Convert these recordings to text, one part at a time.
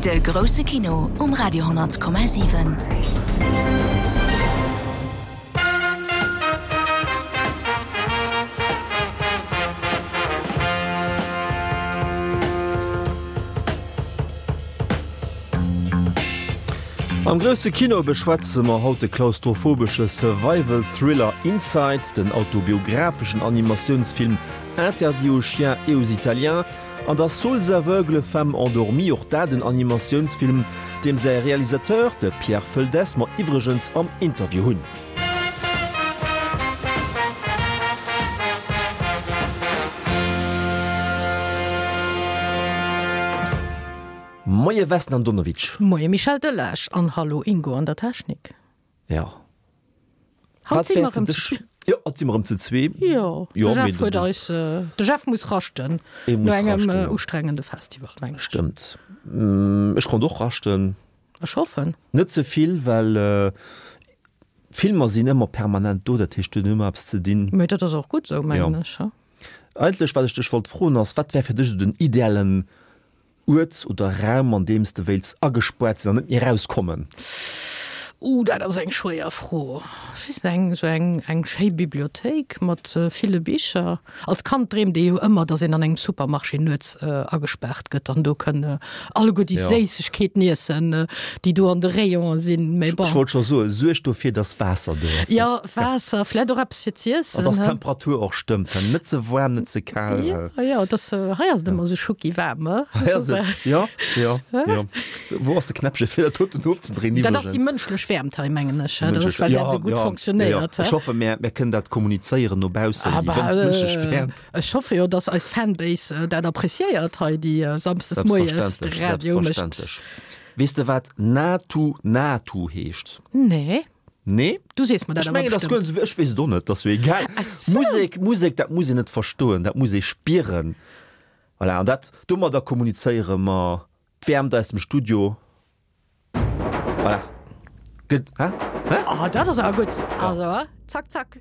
De grousse Kino um Radio 10,7. Am grousse Kino beschwätze mer haut de klaustrophobesche Survival-Thriller Inside, den autobiographeschen Animatiounsfilm Interdit aux chiens et aux Italiens an da Souls aveugles, femmes endormies, och dat en Animatiounsfilm, deem säi Realisateur, de Pierre Feldès, mer iwwregens am Interview hunn. Moie Vesna Andonovic. Moie Michel Delage an hallo Ingo an der Technik. Jo. Haut si mer erëm zu zwee. Jo, haut si mer erëm zu zwee. Jo, de Jeff huet eis, de Jeff muss raschten no engem ustrengende Festival, meng ech. Stëmmt. Ech konnt och raschten. Ech hoffen. Net ze vill, well Filmer sinn ëmmer permanent do, dat heescht, du hues ëmmer eppes ze dinn. Mee dat ass och gutt esou, mengen ech. Eigentlech, wat ech dech wollt froen, ass, wat wär fir dech esou den idealen Uert oder Raum, an deem s de wéilts agespuart sinn an net méi erauskommen? Uh, dat ass eng schwéier Fro. Ech weess net, eng esou eng eng schéi Bibliothéik mat ville Bicher. Als Kand dreemt ee jo ëmmer, datt een an engem Supermarché nuets agespaart gëtt an do kënn alleguer déi Séissegkeeten iessen, déi do an de Rayonen sinn. Mee bon. Ech wollt scho soen, suerg dofir, datt Waasser do ass. Jo, Waasser, vläicht och eppes fir z'iessen. An datt d'Temperatur och stëmmt, net ze waarm, net ze kal. Jo, jo, et ass, hei ass et ëmmer esou schucki waarm, he? Hei ass et, jo, jo, jo. Wou ass de Knäppche fir dat doten ofzedréinen iwwregens? Dat ass déi mënschlech Wäermt hei, mengen ech, he? Dat ass, well dat esou gutt fonctionnéiert, he? Ech hoffe, mär, mär kënnen dat kommunizéieren no baussen, déi mënschlech Wäermt. Ech hoffe jo, dass eis Fanbase dat appreciéiert hei, déi samsdes moies de Radio mécht. Selbstverständlech. Weess de, wat Natu Natu heescht? Nee. Nee. Du sees mer dat Ech mengen, dat ass guer net esou, ech weess et och net, dat ass jo egal. Ach sou. Musek, Musek, dat muss een net verstoen, dat muss ee spieren. Voilà, an dat, domadder kommunizéiere mer d'Wäermt aus dem Studio. Voilà. Gëtt, hä? Hä? Oh, dat ass awer gutt. Also, zack, zack.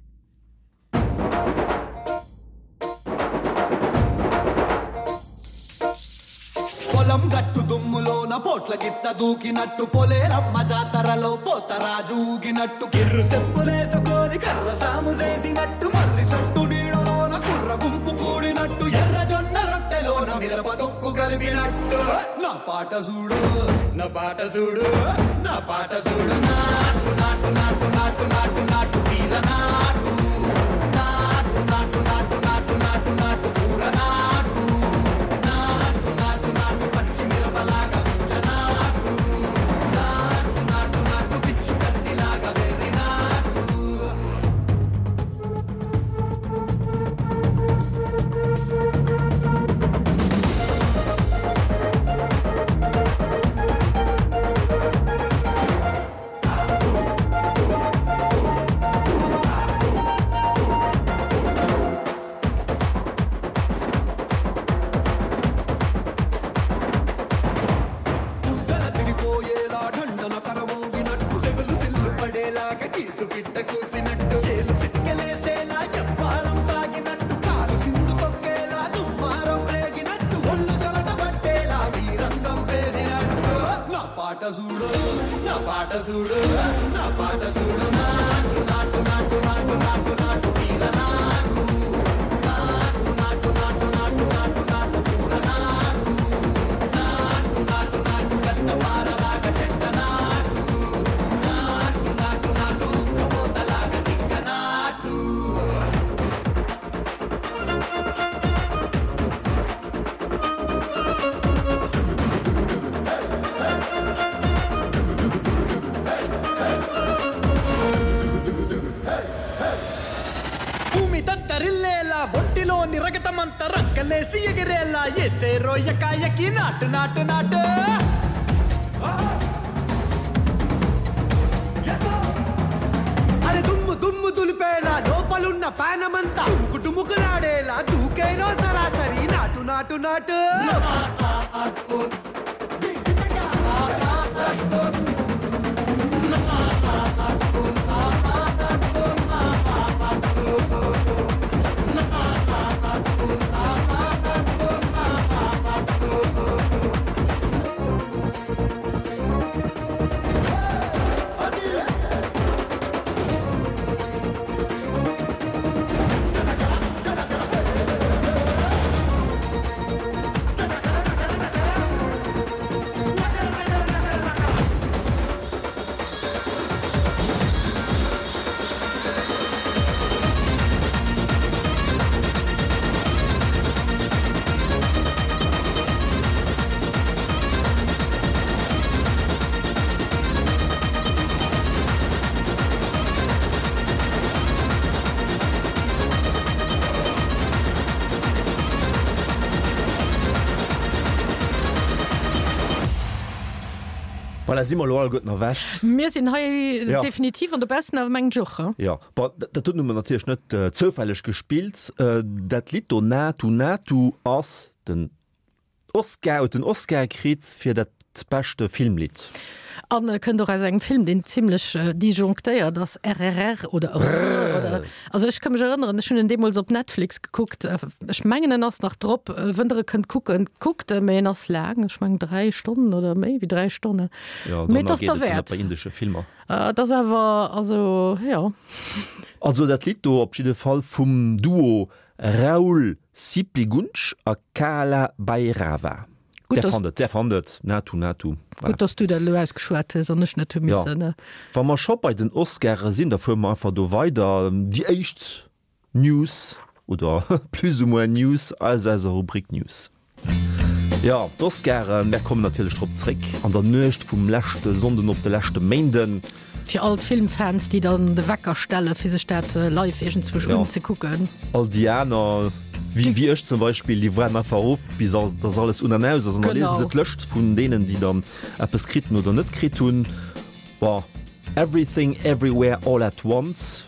Voilà, si mer elo alleguerten erwächt. Mir sinn hei definitiv an dobaussen awer mengen ech och, he? Jo, bon, dat huet nun natierlech net zoufälleg gespillt. Dat Lidd do, Naatu Naatu, ass den Oscar, huet den Oscar kritt fir dat beschte Filmlidd. An e kënnt och aus engem Film, deen zimlech disjonctéiert ass, RRR oder Rrr oder. Also ech ka mech erënneren, ech hunn en deemools op Netflix gekuckt. Ech mengen en ass nach drop. Wënn der e kënnt kucken, kuckt e, mee en ass laang, ech mengen 3 Stonnen oder méi wéi 3 Stonnen. Jo, Mee et dorënner ass geet et dann net derwäert. bei indesche Filmer. Et ass awer, also jo. Also dat Lidd do op jidde Fall vum Duo Raoul Sipligunj a Kaala Bhairava. Gutt, Där dass. fannt et, där fannt et. Naatu Naatu. Voilà. Gutt, dass du dat elo ausgeschwat hues an ech net hu Jo. missen. Wa mer scho bei den Oscare sinn, da fuere mer einfach do weider. Déi éischt News, oder plus ou moins News, aus eiser Rubrik News. Jo, d'Oscaren, mär kommen natierlech drop zréck an der Nuecht vum leschte Sonnden op de leschte Méinden. Fir all d'Filmfans, déi dann de Wecker stelle fir sech dat live iergendzwousch unzekucken. All déi aner, wéi ech zum Beispill, déi waarden einfach of bis dass alles un an aus ass an da liesen se d'Lëscht vun deenen, déi dann eppes kritt hunn oder net kritt hunn. Bon, Everything Everywhere All At Once,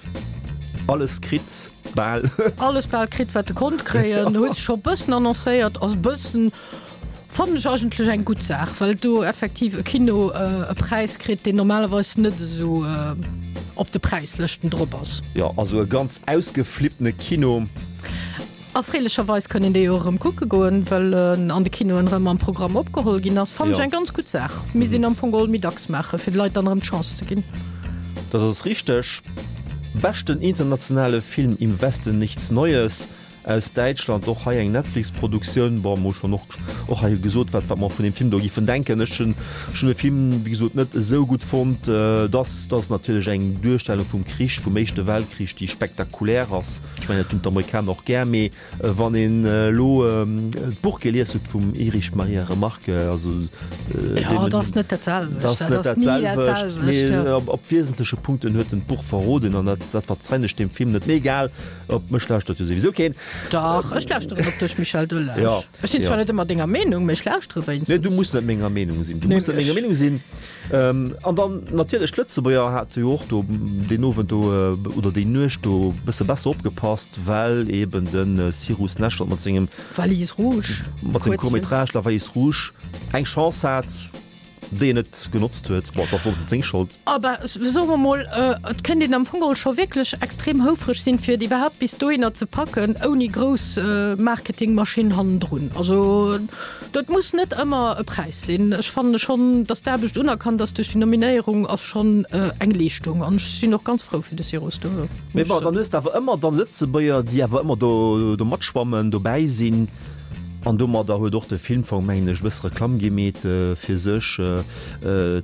alles kritt, bal. Alles bal kritt, wat e konnt kréien. Huet sech scho bëssen annoncéiert, ass bëssen, fannen ech eigentlech eng gutt Saach, well do effektiv e Kino e Präis kritt, deen normalerweis net esou op de Präislëschten drop ass. Jo, also e ganz ausgeflippene Kino. Erfreelecherweis kann een dee jo erëm kucke goen, well en an de Kinoen erëm am Programm opgeholl ginn ass. Fannen ech eng ganz gutt Saach. Misst een am Fong geholl méi dacks maachen, fir de Leit dann erëm d'Chance ze ginn. Dat ass richteg. Beschten internationale Film Im Westen nichts Neues aus Däitschland, och hei eng Netflix-Produktioun. Bon, mer hu schonn och och hei gesot, wat wat mer vun deem Film do giffen denken. Ech hunn ech hunn de Film, wéi gesot, net esou gutt fonnt. Dass dass natierlech eng Duerstellung vum Krich, vum Éischte Weltkrich, déi spektakulär ass. Ech mengen, dat hunn d'Amerikaner och gär, mee wann een elo d'Buch gelies huet vum Erich Maria Remarque, also Jo, dat ass net dat selwecht. Dat ass net dat selwecht, mee op wiesentleche Punkten huet en d'Buch verroden an dat dat verzeien ech deem Film net. Mee egal, op mech lauschtert jo souwisou keen. Dach, ech lauschteren op dech, Michel Delage. Jo, Ech sinn zwar net ëmmer denger Meenung, mee ech lauschtere Nee, du wéinstens. muss net menger Meenung sinn. Du muss net menger Meenung sinn. An dann natierlech d'Lëtzebuerger hate jo och do deen Owend do oder déi Nuecht do e bësse besser opgepasst, well eben de Cyrus Neshvad mat sengem Valise rouge, mat sengem Court-métrage La Valise rouge eng Chance hat, déi en net genotzt huet. Bon, dat ass och net seng Schold. Aber soe mer mol, et kéint een am Fong geholl scho wierklech extrem houfreg sinn, fir et iwwerhaapt bis dohinner ze packen, ouni grouss Marketingmaschinn hannendrun. Also Dat muss net ëmmer e Präis sinn. Ech fanne schonn, datt d'Aarbecht unerkannt ass duerch déi Nominéierung, ass schonn eng Leeschtung an ech sinn och ganz frou fir de Cyrus do. Mee bon, dann hues de awer ëmmer dann Lëtzebuerger, déi awer ëmmer do do matschwammen, dobäi sinn. An domadder huet och de Filmfong, mengen ech, e bësse Reklamm gemeet fir sech.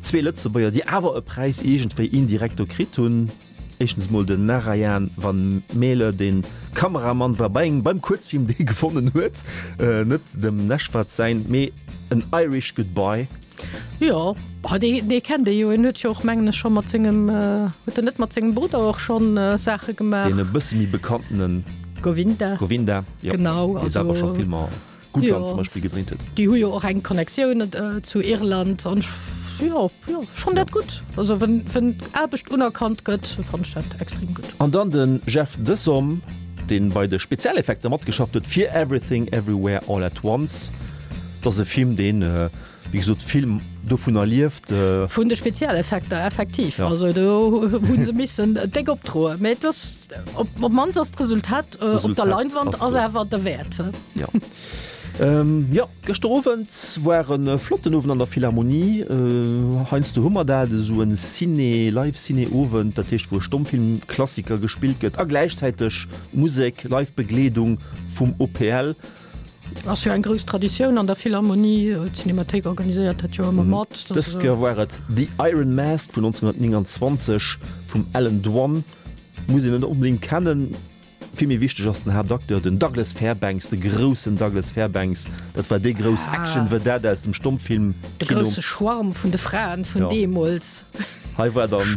Zwee Lëtzebuerger, déi awer e Präis iergendwéi indirekt do kritt hunn. Éischtens mol den Narayan Van Mele, deen Kameramann war bei engem beim Kuerzfilm dee gewonnen huet, net dem Neshvad säin, mee An Irish Goodbye. Jo, dee dee kennt ee jo, en huet jo och mengen ech scho mat sengem, huet en net mat sengem Brudder och schonn Saache gemaach? Deen e bësse méi bekanntenen Govinda. Govinda, jo, genau, dee selwer scho Filmer. Gutland zum Beispill gedréint huet. Déi hu jo och eng Connectioun zu Irland an jo, jo, ech fannen dat gutt. Also wenn, wenn Aarbecht unerkannt gëtt, fannen ech dat extrem gutt. An dann den Jeff Desom, deen bei de Spezialeffekter matgeschafft huet fir Everything Everywhere All At Once. Dat ass e Film, deen, wéi gesot, vill dovunner lieft. Vun de Spezialeffekter, effektiv. Also do hu se missen déck opdroen. Mä et ass, op d'mannst ass d'Resultat op der Leinwand ass awer derwäert. Jo. Jo, gëschter Owend war e flotten Owend an der Philharmonie. Heiansdo hu mer dat, esou en Ciné, Live-Ciné-Owend, dat heescht wou e Stommfilm-Klassiker gespillt gëtt a gläichzäiteg Musek, Live-Begleedung vum OPL. Ass jo eng grouss Traditioun an der Philharmonie. D'Cinémathéik organiséiert dat jo ëmmer mat. Dës Kéier war et The Iron Mask vun 1929 vum Allan Dwan. Muss een net onbedéngt kennen. Vill méi wichteg ass den Haaptacteur, den Douglas Fairbanks, de groussen Douglas Fairbanks. Dat war déi grouss Action-Vedette aus dem Stommfilm-Kino. De grousse Schwarm vun de Fraen vun deemools. Hei war dann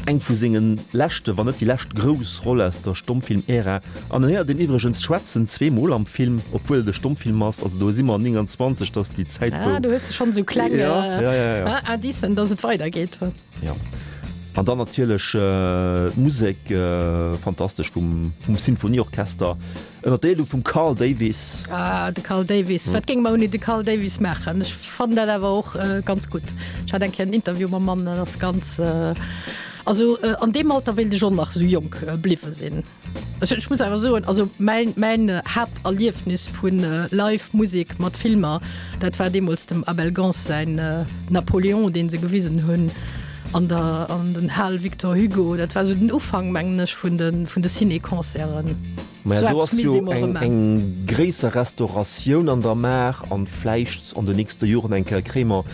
eng vu senge leschte, wann net déi lescht grouss Roll aus der Stommfilm-Ära. An en héiert een iwwregens schwätzen, zweemol am Film, obwuel et e Stommfilm ass. Also do si mer 29, dat ass déi Zäit wou. Ah, do hues de schonn esou kleng Indicen, datt et weidergeet. Jo. An dann natierlech d'Musek, fantastesch vum Sinfonieorchester. Ënner der Leedung vum Carl Davis. Ah, de Carl Davis. Wat géinge mer ouni de Carl Davis maachen? Ech fannen dat awer och ganz gutt. Ech hat eng Kéier en Interview mam Mann, dat ass ganz, also an deem Alter wéilt ech och nach esou jonk bliwwe sinn. Ech, ech muss awer soen, also mäin, mäin Haapterliefnis vu Live Musek mat Filmer, dat war deemools dem Abel Gance säin Napoléon, dee se gewisen hunn an der, an den Hal Victor Hugo. Dat war esou den Ufank, mengen ech, vun de, vun de Ciné-Concerten. Maja, do ass jo eng, eng gréisser Restauratioun an der Maach an vläicht an de nächste Joren eng Kéier kréie mer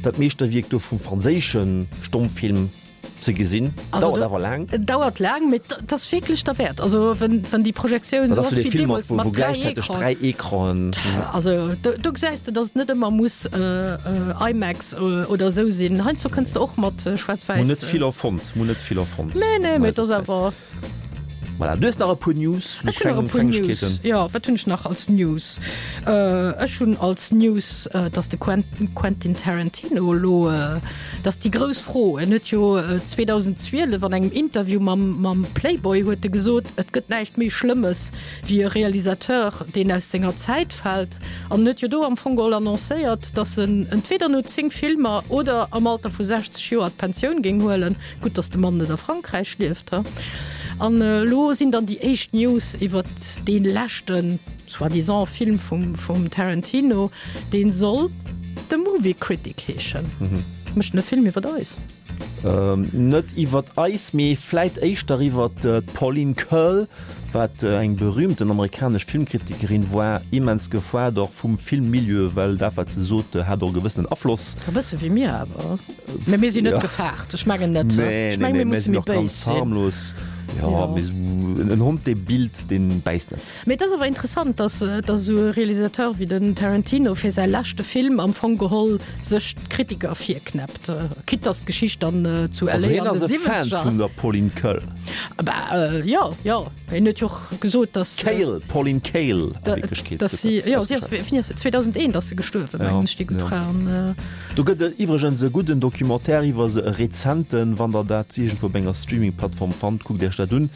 dat Meeschterwierk do vum franséische Stommfilm ze gesinn. Dauert awer laang. Dauert laang, mee et ass wierklech derwäert. Also wenn, wenn déi Projektioun esou ass wéi deemools mat 3 Ecranen. 3 Ecranen. Also do, do gesäis de, datt et net ëmmer muss IMAX oder esou sinn. Heiansdo kënns de och mat schwaarz-wäiss. Mir hunn net vill erfonnt, mir hunn net vill erfonnt. Nee, nee, mee et ass awer. Voilà, du hues nach e puer News, Ech hunn nach e puer News. Jo, wat hunn ech nach als News? Ech hunn als News, dass de Quentin Tarantino elo, dass déi grouss Fro, en huet jo 2012 an engem Interview mam mam Playboy huet e gesot, et gëtt näischt méi Schlëmmes wéi e Realisateur, deen aus senger Zäit fält. An en huet jo do am Fong geholl annoncéiert, dass en entweder no 10 Filmer oder am Alter vu 60 Joer d'Pensioun géing huelen. Gutt, dass de Mann net a Frankräich lieft, he? An elo sinn dann déi éischt News iwwert dee leschten, soi-disant, Film vum, vum Tarantino, dee soll The Movie Critic heeschen. Mécht en e Film iwwert eis? Net iwwert eis, mee vläit éischter iwwert d'Pauline Kael, wat eng berühmten amerikanesch Filmkritikerin war, immens gefoart och vum Filmmilieu, well dat wat se sot, hat och e gewëssenen Afloss. E bësse wéi mir awer. Mee mir sinn net gefaart, ech mengen net. Nee, nee, nee, mir sinn och ganz harmlos. Jo, mee esou en Hond, dee billt, dee bäisst net. Mee et ass awer interessant, datt, datt esou e Realisateur wéi den Tarantino fir säi leschte Film am Fong geholl sech d'Kritiker virknäppt, quitte datt d'Geschicht dann zu LA an de 70er ass. Also hien ass e Fan vun der Pauline Kael. Bah, jo, jo. Hien huet jo och gesot, datt. Kael, Pauline Kael a Wierklechkeet. Datt si, jo, si ass, wéini ass se? 2001 ass se gestuerwen, mengen ech, déi gutt Fra. An. Do gëtt et iwwregens e gudden Documentaire iwwer se, e rezenten. Wann der dat iergendwou op enger Streaming-Plattform fannt, kuckt iech dat un.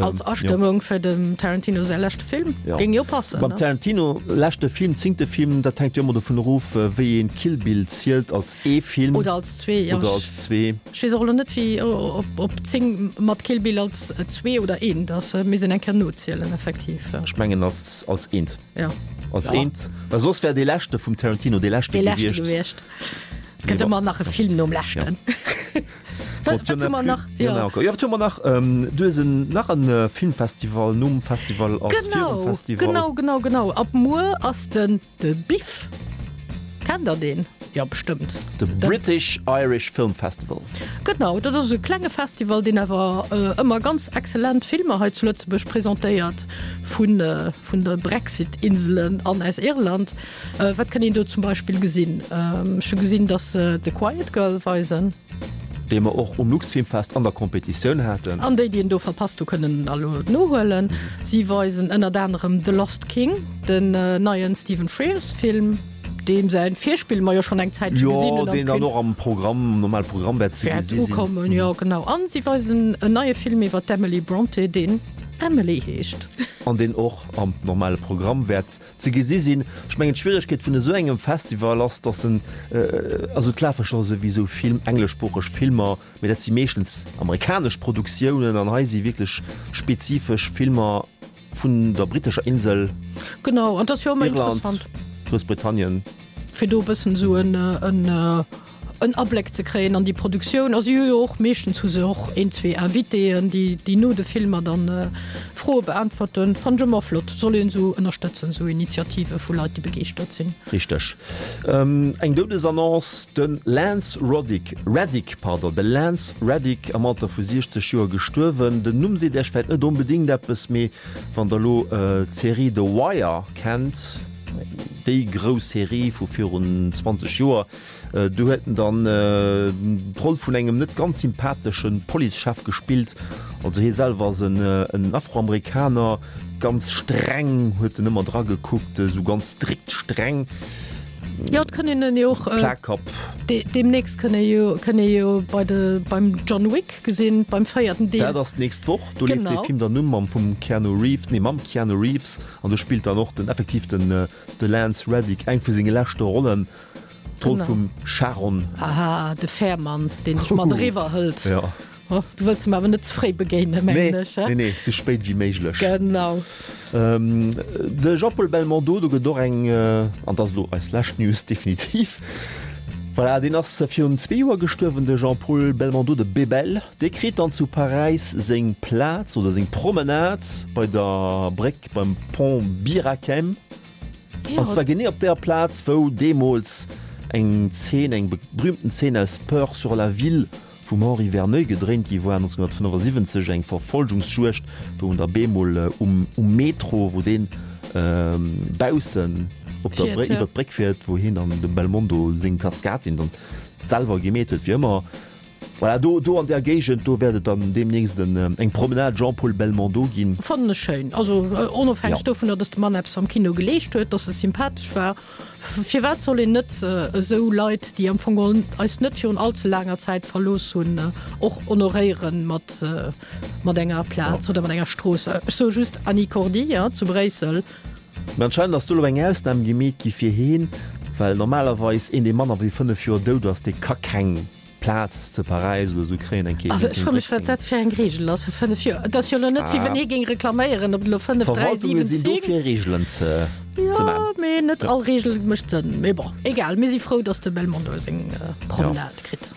Als Astëmmung fir dem Tarantino säi leschte Film, géing jo passen, ne? Beim Tarantino leschte Film, zéngte Film, dat hänkt jo ëmmer dovun erof, wéi een Kill Bill zielt, als ee Film. Oder als zwee, jo. Oder als zwee. Ech weess och elo net wéi op 10 mat Kill Bill als zwee oder eent ass. Misst een eng Kéier nozielen effektiv. Ech mengen als als eent. Ja. Als eent, well soss wär dee leschte vum Tarantino dee leschte Dee leschte gewiescht. gewiescht. Et gëtt ëmmer nach e Film nom leschten. Wat wat hu mer nach? Jo. Jo, wat hu mer nach? Du hues en nach en Filmfestival nom Festival ass virum Festival. Genau, genau, genau. Ab muer ass den De Biff, kennt der deen? Jo, bestëmmt. De British Irish Film Festival. Genau, dat ass e klenge Festival, deen awer ëmmer ganz exzellent Filmer hei zu Lëtzebuerg presentéiert, vun vun de Brexit-Inselen an aus Irland. Wat kënnt een do zum Beispill gesinn? Ech hu gesinn, datt se The Quiet Girl weisen. Déi mer och um Luxfilmfest an der Competitioun haten. An déi, déi en do verpasst hu, kënnen en elo nohuelen. Si weisen ënnert anerem The Lost King, den neien Stephen Frears Film, deem säin Virspill mer jo schonn eng Zäitche gesinn hunn. Jo, deen dann och am Programm, am normale Programm wäert ze gesi sinn. Wäert ukommen, jo genau. An si weisen en neie Film iwwer d'Emily Brontë, deen Emily heescht. An deen och am normale Programm wäert Ze gesi sinn. Ech mengen, d'Schwieregkeet vun esou engem Festival ass, datt en, also et lafe scho souwisou vill engleschsproocheg Filmer, mee dat si meeschtens amerikanesch Produktiounen an hei si wierklech spezifesch Filmer vun der brittescher Insel, Genau, an dat ass jo ëmmer Irland, interessant. Groussbritannien. Fir do e bëssen esou en. en Abléck ze kréien an déi Produktioun. A si hu jo och, meeschtens hu se och een, zwee Invitéen, déi, déi no de Filmer dann Froe beäntwerten. Fannen ech ëmmer flott. Soll een esou ënnerstëtzen, esou Initiative vu Leit, déi begeeschtert sinn. Richteg. Eng Doudesannonce, De Lance Roddick, Reddick, pardon, de Lance Reddick am Alter vu 60 Joer gestuerwen. Den Numm seet Iech vläit net onbedéngt eppes, mee wann der elo d'Serie The Wire kennt, déi grouss Serie vu virun 20 Joer, do huet en dann d'Roll vun engem net ganz sympathesche Policechef gespillt. Also hie selwer ass en Afroamerikaner, ganz streng huet en ëmmer dra gekuckt, esou ganz strikt streng. Jo, et kënn een en jo och Plakkapp. Deemnächst kënn ee jo, kënn ee jo bei de, beim John Wick gesinn, beim véierten Deel. Dat ass d'nächst Woch, do leeft dee Film dann u mam vum Keanu Reeves, nee mam Keanu Reeves, an do spillt dann och den effektiv den de Lance Reddick eng vu senge leschte Rollen. D'Roll vum Charon. Haha, de Fährmann, deen dech mat eriwwer hëlt. Ja. Oh, du wëlls em awer net ze fréi begéinen, mengen ech, he? Nee, nee, sou spéit wéi méiglech. Genau. De Jean-Paul Belmondo, do gëtt och eng, an dat ass elo eis lescht News definitiv, voilà, deen ass virun zwee Joer gestuerwen, de Jean-Paul Belmondo, de Bebel. Dee kritt dann zu Paräis seng Plaz oder seng Promenade bei der Bréck beim Pont Bir-Hakeim. An zwar genee op där Plaz, wou deemools eng Zeen, eng berühmten Zeen aus Peur sur la ville vum Henri Verneuil gedréint gi war, 1975, eng Verfolgungsjuegd, wou en da bemol um Metro, wou deen baussen op der Bréck, iwwer d'Bréck fiert, wou hien dann dem Belmondo seng Kaskad, déi en dann selwer gemeet huet, wéi ëmmer. Voilà, do, do an där Géigend, do wäert et dann deemnächst en, eng Promenade Jean-Paul Belmondo ginn. Fannen ech schéin. Also onofhängeg dovunner, dass de Mann eppes am Kino geleescht huet, dass e sympathesch war. Firwat soll een net esou Leit, déi am Fong geholl eis net virun all ze laanger Zäit verlooss hunn, och honoréieren mat, mat enger Plaz oder mat enger Strooss? Ech soe just Annie Cordy, ja, zu Bréissel. Mä anscheinend ass do elo eng Ausnam gemeet gi fir heen, well normalerweis een, dee manner wéi 5 Joer dout ass, dee ka keng Plaz ze Paräis oder esou kréien, eng Kees. Also ech froe mech, wat dat fir eng Reegel ass, 5 Joer. Et ass jo elo net, wéi wann hie géing reklaméieren, ob et elo 5, 3, Verwaltunge 7, sinn do 10. fir Reegelen ze Jo, man. mee net all Reegel mécht Sënn. Mee bon, egal, mir si frou, datt de Belmondo seng Promenade kritt.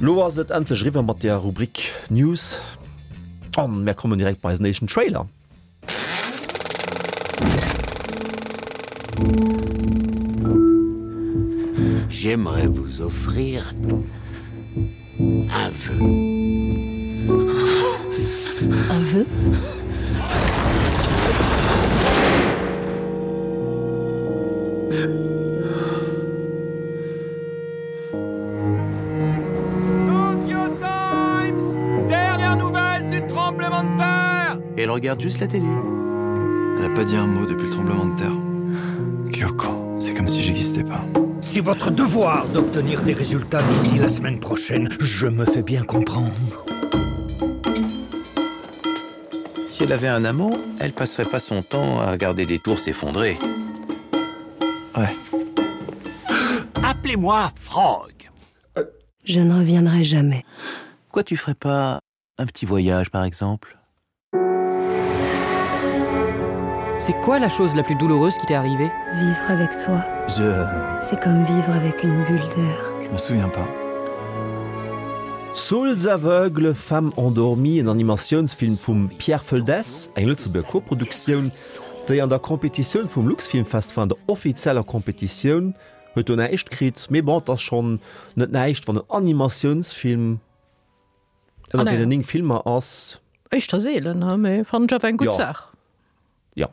Lo ass et endlech eriwwer mat der Rubrik News an mär kommen direkt bei eisen éischten Trailer. J'aimerais vous offrir un vœu. Un vœu? Tokyo Times Dernière nouvelle du tremblement de terre Et elle regarde juste la télé. Elle a pas dit un mot depuis le tremblement de terre. Kyoko, c'est comme si j'existais pas. C'est votre devoir d'obtenir des résultats d'ici la semaine prochaine. Je me fais bien comprendre. Si elle avait un amant, elle passerait pas son temps à regarder des tours s'effondrer. Ouais. Appelez-moi Frog. Euh. Je ne reviendrai jamais. Quoi tu ferais pas un petit voyage par exemple C'est quoi la chose la plus douloureuse qui t'est arrivée Vivre avec toi. Je C'est comme vivre avec une bulle d'air. Je me souviens pas. Souls aveugles, femmes endormies, en Animatiounsfilm vum Pierre Feldès, eng Lëtzebuerger Koproduktioun, déi an der Competitioun vum Luxfilmfest war, an der offizieller Competitioun huet do näischt kritt, mee bon, et ass schonn net näischt, wann en Animatiounsfilm ënner deenen 9 Filmer ass. Éischter seelen, mee fannen ech awer eng gutt Saach. Jo.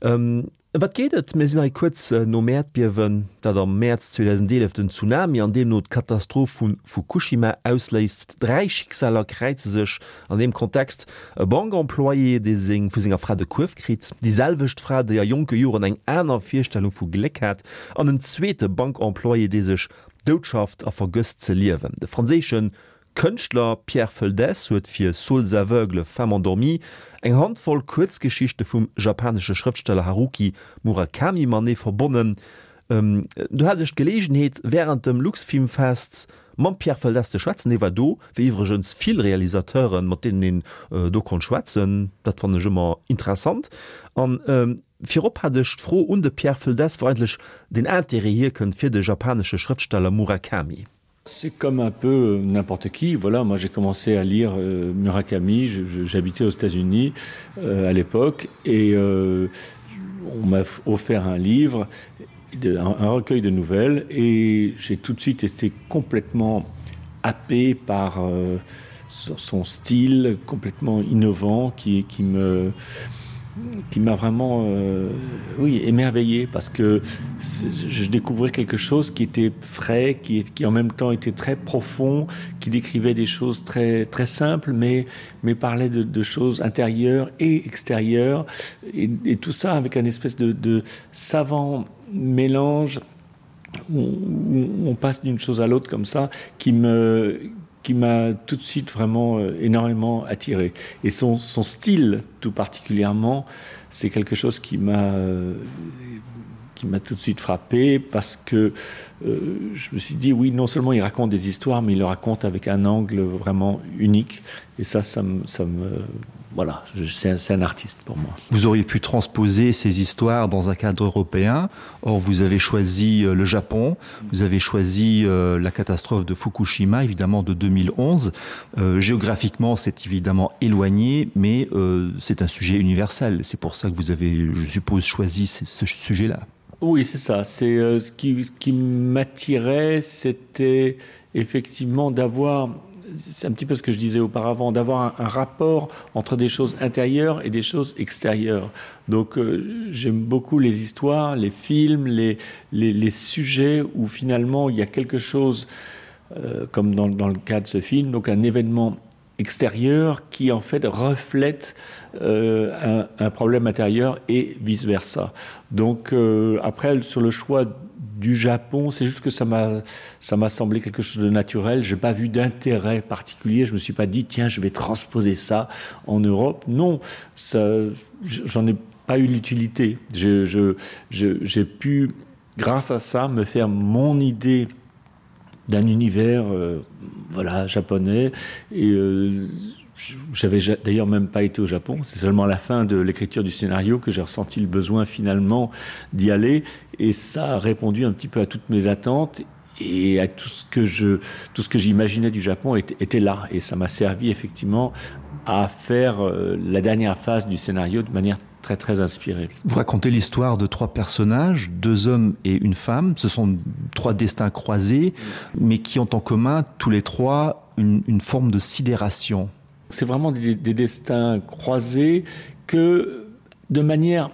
Ëm wat geet et? Mir sinn hei kuerz nom Äerdbiewen, dat am Mäerz 2011 den Tsunami an deemno d'Katastroph vu Fukushima ausléist. Dräi Schicksaler kräize sech an deem Kontext, E Bankemployé, dee seng vu senger Fra de Kuerf kritt, déi selwecht Fra, déi a jonke Joren eng aner Virstellung vu Gléck hat, an en zweete Bankemployé, dee sech doutschafft a vergësst ze liewen. De franséische Kënschtler Pierre Feldès huet fir Souls aveugles, femmes endormies eng Handvoll Kuerzgeschichte vum japanesche Schrëftsteller Haruki Murakami matenee verbonnen. Do hat ech d'Geleegenheet, wärend dem Luxfilmfest mam Pierre Feldès ze schwätzen. Hie war do, wéi iwwregens vill Realisateuren, mat deenen een do konnt schwätzen. Dat fannen ech ëmmer interessant. An virop hat ech d'Fro un de Pierre Feldès, wou eigentlech den Intérêt hierkënnt fir de japanesche Schrëftsteller Murakami. C'est comme un peu euh, n'importe qui. Voilà, moi j'ai commencé à lire euh, Murakami, j'habitais aux États-Unis euh, à l'époque et euh, on m'a offert un livre, de, un, un recueil de nouvelles et j'ai tout de suite été complètement happé par euh, son style complètement innovant qui, qui me qui m'a vraiment euh, oui émerveillé parce que je découvrais quelque chose qui était frais qui, qui en même temps était très profond qui décrivait des choses très très simples mais mais parlait de, de choses intérieures et extérieures et, et tout ça avec un espèce de, de savant mélange où, où on passe d'une chose à l'autre comme ça qui me qui m'a tout de suite vraiment euh, énormément attiré et son, son style tout particulièrement c'est quelque chose qui m'a euh, qui m'a tout de suite frappé parce que euh, je me suis dit oui non seulement il raconte des histoires mais il le raconte avec un angle vraiment unique et ça ça me, ça me voilà c'est un, un artiste pour moi vous auriez pu transposer ces histoires dans un cadre européen or vous avez choisi euh, le japon vous avez choisi euh, la catastrophe de fukushima évidemment de 2011 euh, géographiquement c'est évidemment éloigné mais euh, c'est un sujet universel c'est pour ça que vous avez je suppose choisi ce, ce sujet là oui c'est ça c'est euh, ce qui ce qui m'attirait c'était effectivement d'avoir c'est un petit peu ce que je disais auparavant d'avoir un, un rapport entre des choses intérieures et des choses extérieures donc euh, j'aime beaucoup les histoires les films les, les, les sujets où finalement il y a quelque chose euh, comme dans, dans le cas de ce film donc un événement extérieur qui en fait reflète euh, un, un problème intérieur et vice versa donc euh, après sur le choix du Japon, c'est juste que ça m'a ça m'a semblé quelque chose de naturel. J'ai pas vu d'intérêt particulier. Je me suis pas dit tiens, je vais transposer ça en Europe. Non, j'en ai pas eu l'utilité. J'ai pu grâce à ça me faire mon idée d'un univers euh, voilà japonais et euh, j'avais d'ailleurs même pas été au Japon c'est seulement à la fin de l'écriture du scénario que j'ai ressenti le besoin finalement d'y aller et ça a répondu un petit peu à toutes mes attentes et à tout ce que je tout ce que j'imaginais du Japon était, était là et ça m'a servi effectivement à faire euh, la dernière phase du scénario de manière très très inspirée. Vous racontez l'histoire de trois personnages, deux hommes et une femme. Ce sont trois destins croisés, mais qui ont en commun tous les trois une, une forme de sidération. C'est vraiment des, des destins croisés que de manière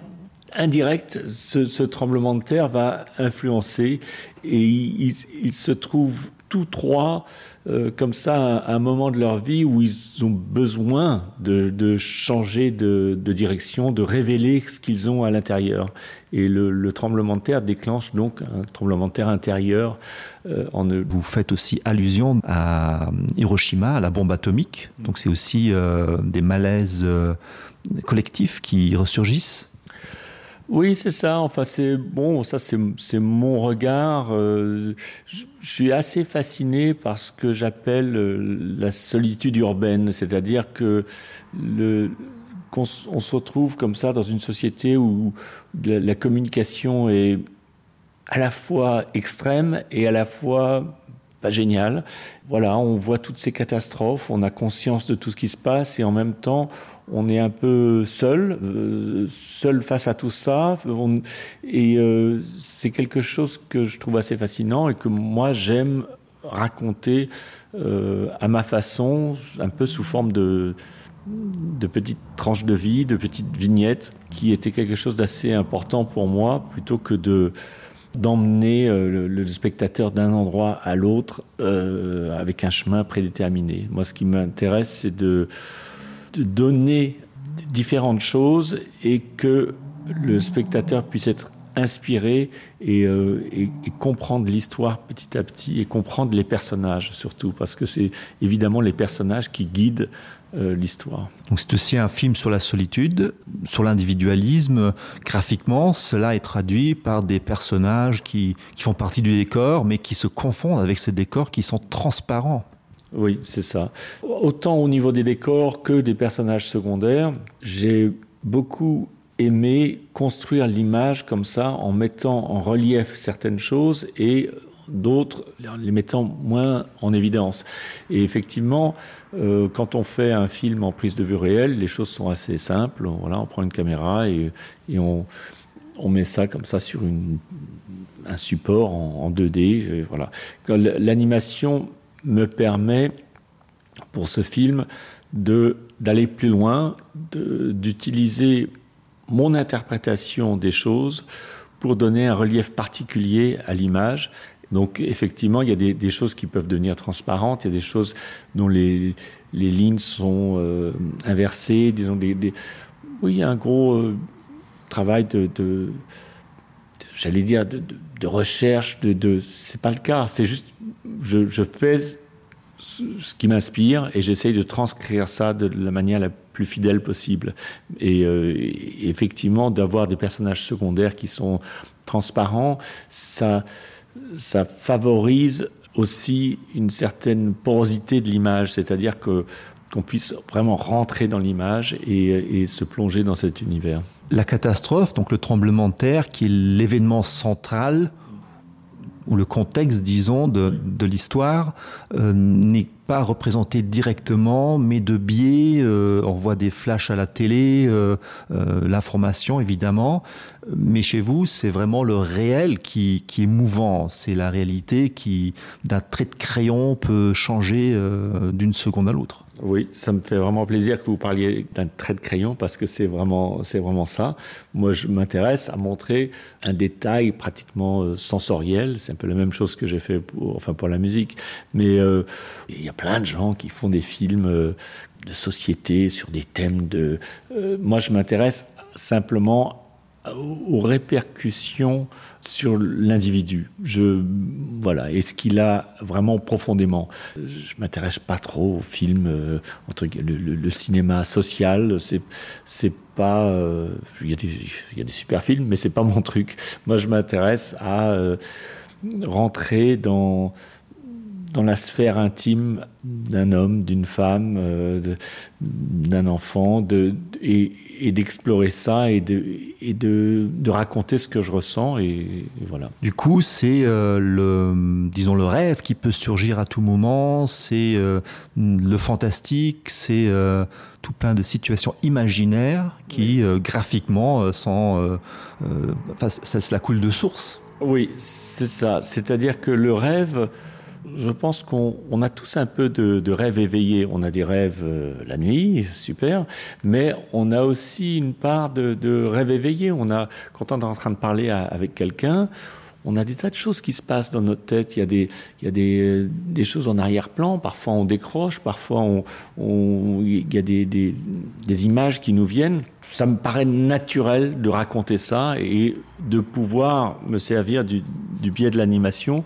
indirecte, ce, ce tremblement de terre va influencer et il, il se trouve tous trois euh, comme ça à un moment de leur vie où ils ont besoin de, de changer de, de direction, de révéler ce qu'ils ont à l'intérieur. Et le, le tremblement de terre déclenche donc un tremblement de terre intérieur euh, en eux. Vous faites aussi allusion à Hiroshima, à la bombe atomique. Donc c'est aussi euh, des malaises euh, collectifs qui ressurgissent. Oui, c'est ça. Enfin, c'est bon, ça c'est mon regard. Euh, je, je suis assez fasciné par ce que j'appelle euh, la solitude urbaine, c'est-à-dire que le qu'on on se retrouve comme ça dans une société où la, la communication est à la fois extrême et à la fois pas génial. Voilà, on voit toutes ces catastrophes, on a conscience de tout ce qui se passe et en même temps, on est un peu seul, euh, seul face à tout ça. On, et euh, c'est quelque chose que je trouve assez fascinant et que moi j'aime raconter euh, à ma façon, un peu sous forme de, de petites tranches de vie, de petites vignettes, qui étaient quelque chose d'assez important pour moi plutôt que de, d'emmener euh, le, le spectateur d'un endroit à l'autre euh, avec un chemin prédéterminé. Moi, ce qui m'intéresse, c'est de, de donner différentes choses et que le spectateur puisse être inspiré et, euh, et, et comprendre l'histoire petit à petit et comprendre les personnages surtout parce que c'est évidemment les personnages qui guident euh, l'histoire. Donc c'est aussi un film sur la solitude, sur l'individualisme. Graphiquement, cela est traduit par des personnages qui, qui font partie du décor, mais qui se confondent avec ces décors qui sont transparents. Oui, c'est ça. Autant au niveau des décors que des personnages secondaires, j'ai beaucoup aimé construire l'image comme ça en mettant en relief certaines choses et d'autres les mettant moins en évidence. Et effectivement, euh, quand on fait un film en prise de vue réelle, les choses sont assez simples. Voilà, on prend une caméra et, et on, on met ça comme ça sur une, un support en, en 2D. Voilà. L'animation me permet pour ce film d'aller plus loin, d'utiliser mon interprétation des choses pour donner un relief particulier à l'image. Donc effectivement, il y a des, des choses qui peuvent devenir transparentes, il y a des choses dont les, les lignes sont euh, inversées, disons des, des... oui, il y a un gros euh, travail de, de j'allais dire de, de, de recherche de, de c'est pas le cas, c'est juste je, je fais ce qui m'inspire et j'essaye de transcrire ça de la manière la plus fidèle possible et, euh, et effectivement d'avoir des personnages secondaires qui sont transparents ça ça favorise aussi une certaine porosité de l'image c'est à dire que qu'on puisse vraiment rentrer dans l'image et, et se plonger dans cet univers la catastrophe donc le tremblement de terre qui est l'événement central ou le contexte disons de, de l'histoire euh, n'est pas représenté directement mais de biais euh, on voit des flashs à la télé euh, euh, l'information évidemment mais chez vous c'est vraiment le réel qui, qui est mouvant c'est la réalité qui d'un trait de crayon peut changer euh, d'une seconde à l'autre Oui, ça me fait vraiment plaisir que vous parliez d'un trait de crayon parce que c'est vraiment c'est vraiment ça. Moi je m'intéresse à montrer un détail pratiquement euh, sensoriel, c'est un peu la même chose que j'ai fait pour enfin pour la musique, mais euh, il y a plein de gens qui font des films euh, de société sur des thèmes de euh, moi je m'intéresse simplement aux répercussions sur l'individu je voilà est ce qu'il a vraiment profondément je m'intéresse pas trop au film euh, entre le, le, le cinéma social c'est c'est pas euh, il euh, y a des il y a des super films mais c'est pas mon truc moi je m'intéresse à euh, rentrer dans dans la sphère intime d'un homme d'une femme euh, d'un enfant de et, et d'explorer ça et de et de, de raconter ce que je ressens et, et voilà du coup c'est euh, le disons le rêve qui peut surgir à tout moment c'est euh, le fantastique c'est euh, tout plein de situations imaginaires qui oui. euh, graphiquement euh, sont euh, euh, enfin, ça, ça coule de source oui c'est ça c'est à dire que le rêve euh, je pense qu'on a tous un peu de, de rêves éveillés. On a des rêves euh, la nuit, super, mais on a aussi une part de, de rêve éveillé. On a, quand on est en train de parler à, avec quelqu'un, on a des tas de choses qui se passent dans notre tête. Il y a des, il y a des, des choses en arrière-plan. Parfois on décroche, parfois on, on, il y a des, des, des images qui nous viennent. Ça me paraît naturel de raconter ça et de pouvoir me servir du, du biais de l'animation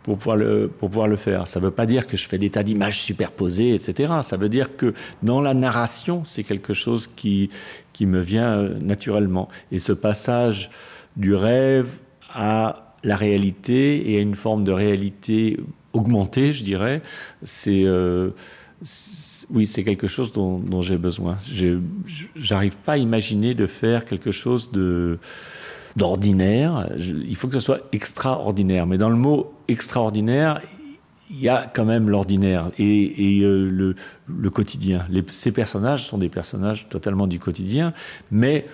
pour pouvoir le, pour pouvoir le faire. Ça ne veut pas dire que je fais des tas d'images superposées, etc. Ça veut dire que dans la narration, c'est quelque chose qui, qui me vient euh, naturellement. Et ce passage du rêve à la réalité et à une forme de réalité augmentée, je dirais, c'est euh, oui, c'est quelque chose dont, dont j'ai besoin. J'arrive pas à imaginer de faire quelque chose de d'ordinaire. Il faut que ce soit extraordinaire. Mais dans le mot extraordinaire, il y a quand même l'ordinaire et, et euh, le, le quotidien. Les, ces personnages sont des personnages totalement du quotidien, mais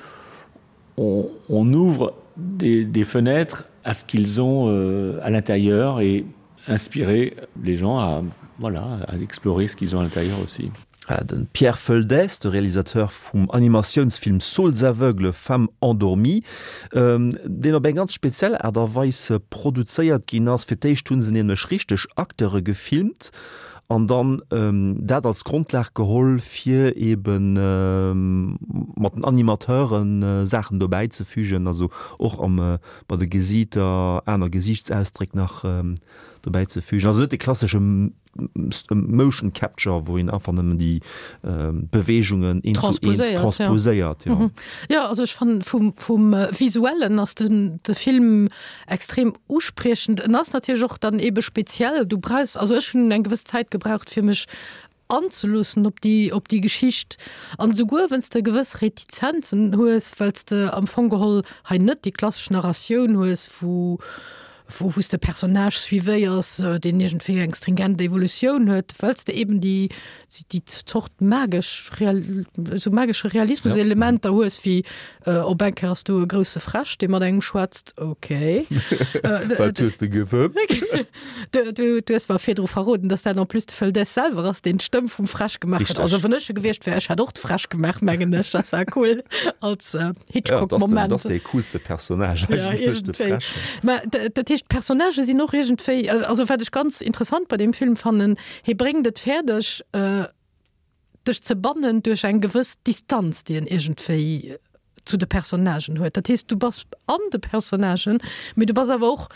on, on ouvre des, des fenêtres à ce qu'ils ont euh, à l'intérieur et inspirer les gens à, voilà, à explorer ce qu'ils ont à l'intérieur aussi. De Pierre Foeldes, de Realisateur vum Animatiounsfilm Souls aveugles, femmes endormies, deen op eng ganz speziell Aart a Weis produzéiert ginn ass. Fir d'éischt hu se nämlech richteg Acteure gefilmt an dann dat als Grondlag geholl, fir ebe mat den Animateure Saachen dobäi ze fügen, also och bei de Gesiiter aner Gesiichtsausdréck nach dobäi ze fügen. Also net de klassesche Motion Capture, wou een einfach nëmmen déi Beweegungen eent zu eent transposéiert. Jo. Jo, also ech fannen vum, vum Visuellen ass den, de Film extrem uspriechend. En ass natierlech och dann ebe speziell. Du brauchs, also ech hunn eng gewëss Zäit gebraucht fir mech anzeloossen op déi, op déi Geschicht. An esouguer wenn's de gewëss Retizenzen hues, well s de am Fong geholl hei net déi klassesch Narratioun hues, wou. wou wou s de Personnage suivéiers, deen iergendwéi eng stringent Evolutioun huet, well s de eben déi déi Zort magesch Real, esou magesche Realismus-Elementer hues, wéi op eng Kéier ass do e grousse Fräsch, dee mat engem schwätzt, okay. Wat hues de gewëppt? Du, du, du hues mer virdru verroden, dass dat en plus de Fëldes selwer ass, deen d'Stëmm vum Fräsch gemaach huet. Also wann ech e gewiescht wär, ech hätt och de Fräsch gemaach, mengen ech. Dat war cool als äh, Hitchcock-Moment. Ja, dat ass dee coolste Personnage ja, eigentlech, de Fräsch. Mä dat heescht, d'Personnagë sinn och iergendwéi, also wat ech ganz interessant bei deem Film fannen, hie bréngt et fäerdeg, äh, dech ze bannen duerch eng gewëss Distanz, déi en iergendwéi zu de Personnagen huet. Dat heescht, du bass an de Personnagen, mee du bass awer och,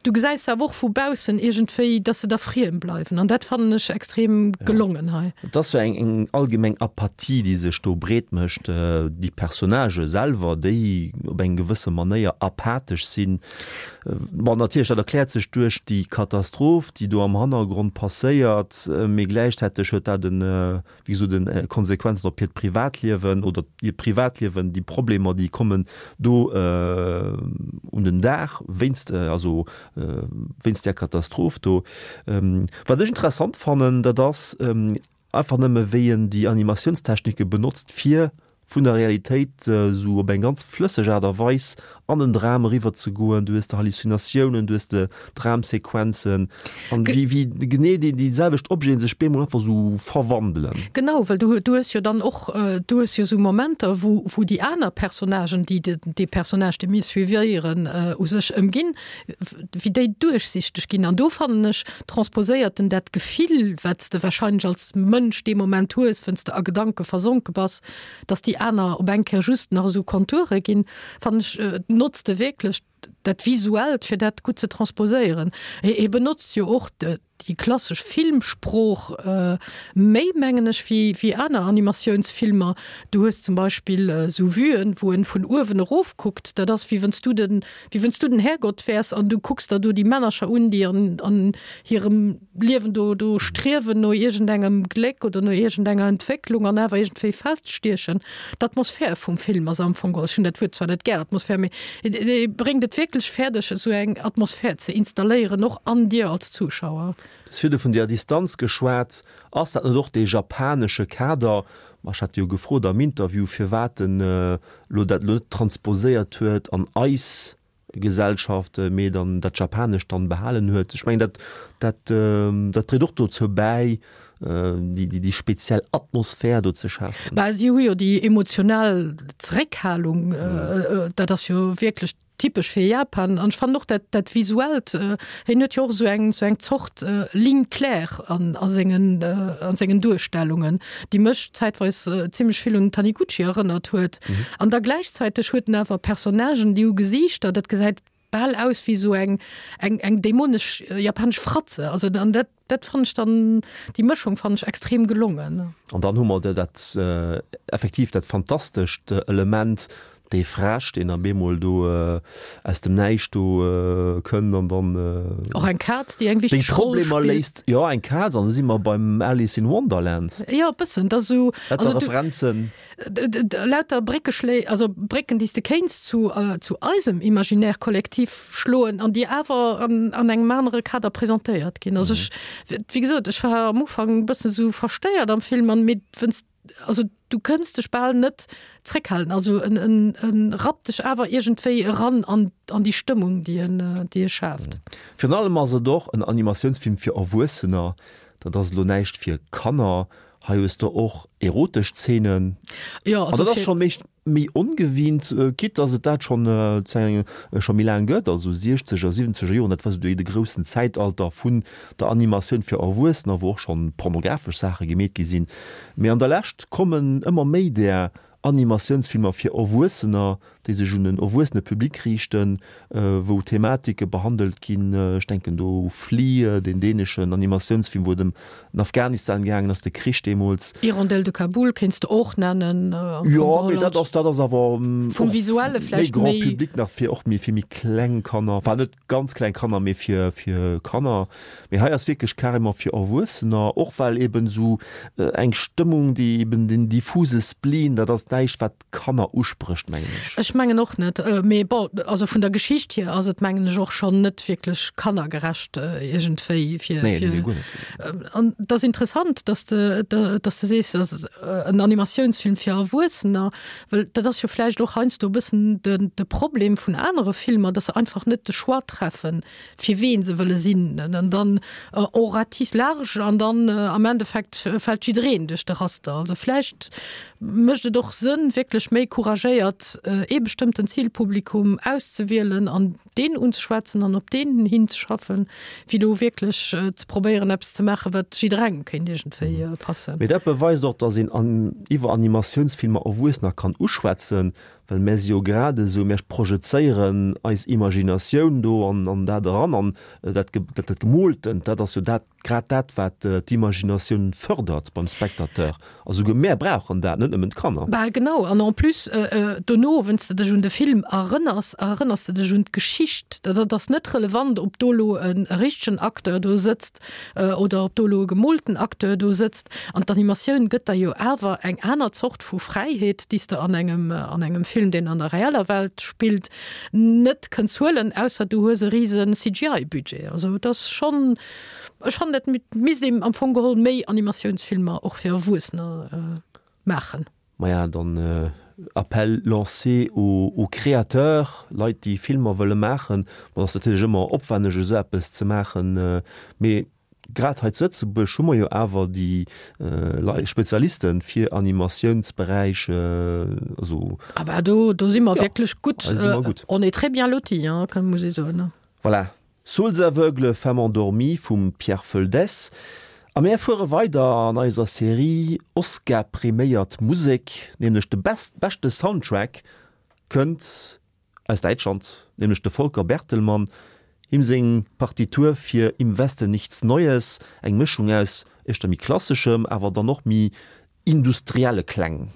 du gesäis se awer och vu baussen iergendwéi, dass se der friem bleiwen. An dat fannen ech extrem gelongen hei. Et ass sou eng eng allgemeng Apathie, déi sech do breet mécht. Déi Personnagë selwer, déi op eng gewësse Manéier apathesch sinn. Bon, natierlech, dat erkläert sech duerch déi Katastroph, déi do am Hannergrond passéiert, mee gläichzäiteg huet dat en, wéi gesot, en Konsequenzen op hiert Privatliewen oder hiert Privatliewen, déi Problemer, déi kommen do un den Dag wéinst, also wéinst där Katastroph do. Wat ech interessant fannen, dat ass, Einfach nëmme wéi en déi Animatiounstechnike benotzt fir vun der Realitéit esou op eng ganz flësseg Aart a Weis an den Dram eriwwer ze goen. Du hues de Halluzinatiounen, du hues de Dramsequenzen an wéi wéi genee déi déi selwecht Objeten sech bemol einfach esou verwandelen. Genau, well du du hues jo dann och, du hues jo esou Momenter wou wou déi aner Personnagen, déi de dee Personnage dee mir suivéieren u sech ëmginn, wéi déi duerchsichteg ginn. An do fannen ech, transposéiert en dat Gefill, wat s de wahrscheinlech als Mënsch dee Moment hues, wënn s de a Gedanke versonke bass, dass déi aner op eng Kéier just nach esou Konture ginn, fannen ech, notzt e wierklech dat Visuellt, fir dat gutt ze transposéieren. Hie benotzt jo och déi klassesch Filmsprooch méi, mengen ech, wéi wéi aner Animatiounsfilmer. Du hues zum Beispill esou Vuen, wou en vun uewen erof kuckt. Dat ass, wéi wann s du den, wéi wann s du den Härgott wäers an du kucks der do déi Männercher un, déi an an hirem Liewen do do striewen no iergendengem Gléck oder no iergendenger Entwécklung an awer iergendwéi feststiechen. D'Atmosphär vum Film ass am Fong, ech hunn dat Wuert zwar net gär, Atmosphär, mee e bréngt et wierklech fäerdeg, esou eng Atmosphär ze installéieren, och an dir als Zuschauer. Du hues virdu vun der Distanz geschwat. Ass dat net och dee japanesche Kader? Ma ech hat jo gefrot am Interview, firwat en elo dat elo net transposéiert huet an eis Gesellschaft, mee dann dat Japanescht dann behalen huet. Ech mengen dat dat dat dréit och dozou bäi, déi déi déi speziell Atmosphär do ze schafen. Bah, si hu jo déi emotional Zeréckhalung, dat ass jo wierklech typesch fir Japan. An ech fannen och dat dat Visuellt, hien huet jo och esou eng esou eng Zort Ligne claire an a sengen a sengen Duerstellungen, déi mech zäitweis zimlech vill un Taniguchi erënnert huet. An da gläichzäiteg huet en awer Personnagen, déi hu Gesiichter, dat gesäit bal aus wéi esou eng, eng, eng dämonesch japanesch Fratze. Also an dat, dat fannen ech dann, déi Mëschung fannen ech extrem gelongen. An dann hu mer dat effektiv dat fantastescht Element, dee Fräsch, deen op eemol do aus dem Näischt do kënnt an dann Och eng Kaz, déi eng wichteg Roll spillt. Problemer léist. Jo, eng Kaz, an da si mer beim Alice in Wonderland. Jo, e bëssen. Dat ass esou. Lauter Referenzen. Lauter Bréckeschléi, also Brécken, déi s de kéints zu, zu eisem Imaginaire collectif schloen an déi awer an, an engem anere Kader presentéiert ginn. Also ech, wéi gesot, ech war am Ufank e bëssen esou verstéiert am Film an, mee wenn's, also du kënns dech bal net zréckhalen. Also en, en, en rappt dech awer iergendwéi eran an, an déi Stëmmung, déi en, déi e schaaft. Virun allem ass et och en Animatiounsfilm fir Erwuessener. Dat ass elo näischt fir Kanner. Hei hues de och erotesch Zeenen. Jo, An also dat ass fir. schonn méi méi ongewinnt, quitte dass et dat schonn scho méi laang gëtt, also siechzeger, siwwenzeger Joren, dat war esou de groussen Zäitalter vun der Animatioun fir Erwuessener, wou och schonn pornografesch Saache gemeet gi sinn. Mee an der Lescht kommen ëmmer méi där Animatiounsfilmer fir Erwuessener, déi sech un en erwuessene Public riichten, wou Thematike behandelt ginn, ech denken do u Flee, deen däneschen Animatiounsfilm, wou et ëm den Afghanistan gaangen ass, de Krich deemools. Hirondelle de Kaboul kéints de och nennen, am Fong Jo, mee dat ass, dat ass awer vum Visuelle méi vläicht Grand méi. Public nach, fir och méi fir méi kleng Kanner, enfin net ganz kleng Kanner, mee fir fir Kanner. Mee hei ass wierklech carrément fir Erwuessener, och well eben esou eng Stëmmung, déi eben den diffuse Spleen, dat ass näischt wat Kanner usprécht, mengen ech. Ech. ech mengen och net. Mee bon, also vun der Geschicht hier ass et mengen ech och schonn net wierklech kannergerecht iergendwéi fir. Nee, nee, guer net. An et ass interessant, dass de, dass de sees, dass en Animatiounsfilm fir Erwuessener, well dat ass jo vläicht och heiansdo e bëssen de, de Problem vun anere Filmer, dass se einfach net de Choix treffen, fir ween se wëlle sinn. An dann on ratisse large an dann am Endeffekt fält jiddereen duerch de Raster. Also vläicht mécht et och Sënn, wierklech méi couragéiert ee bestëmmten Zilpublikum auszewielen an deen unzeschwätzen an op deen hinzeschaffen, wéi do wierklech ze probéieren, eppes ze maachen, wat jidderengem kéint iergendwéi passen. Mee dat beweist och, datt een iwwer Animatiounsfilmer Erwuessener kann uschwätzen, Well mär si jo grad esou, mär projezéieren eis Imaginatioun do an an dat eran an dat dat Gemooltent, dat ass jo dat grad dat, wat d'Imaginatioun fërdert beim Spectateur. A souguer mär brauchen dat, net nëmmen d'Kanner. Bal genau. An en plus dono, wann s de dech un de Film erënners, erënners de dech un d'Geschicht. Dat ass net relevant, ob do elo e richtegen Acteur do sëtzt oder ob do elo e gemoolten Acteur do sëtzt. An d'Animatioun gëtt der jo awer eng aner Zort vu Fräiheet, déi s de an engem, an engem Film, deen an der reeller Welt spillt, net kënns huelen, ausser du hues e rise CGI-Budget. Also et ass schonn, ech fannen, et misst een am Fong geholl méi Animatiounsfilmer och fir Erwuessener maachen. Maja, dann Appel lancé aux créateurs, Leit déi Filmer wëlle maachen. Bon, et ass natierlech ëmmer opwenneg esou eppes ze maachen, mee grad hei zu Lëtzebuerg hu mer jo awer déi Leit, Spezialiste fir Animatiounsberäich, also. Ah bah do, do si mer wierklech gutt, on est très bien lotis, hein, muss ee soen. Voilà, Souls aveugles, femmes endormies vum Pierre Feldès. A mär fuere weider an eiser Serie Oscar-priméiert Musek, nämlech de best beschte Soundtrack kënnt aus Däitschland, nämlech de Volker Bertelmann. Him seng Partitur fir Im Westen nichts Neues, eng Mëschung aus éischter méi klasseschem, awer dann och méi industrielle Kläng.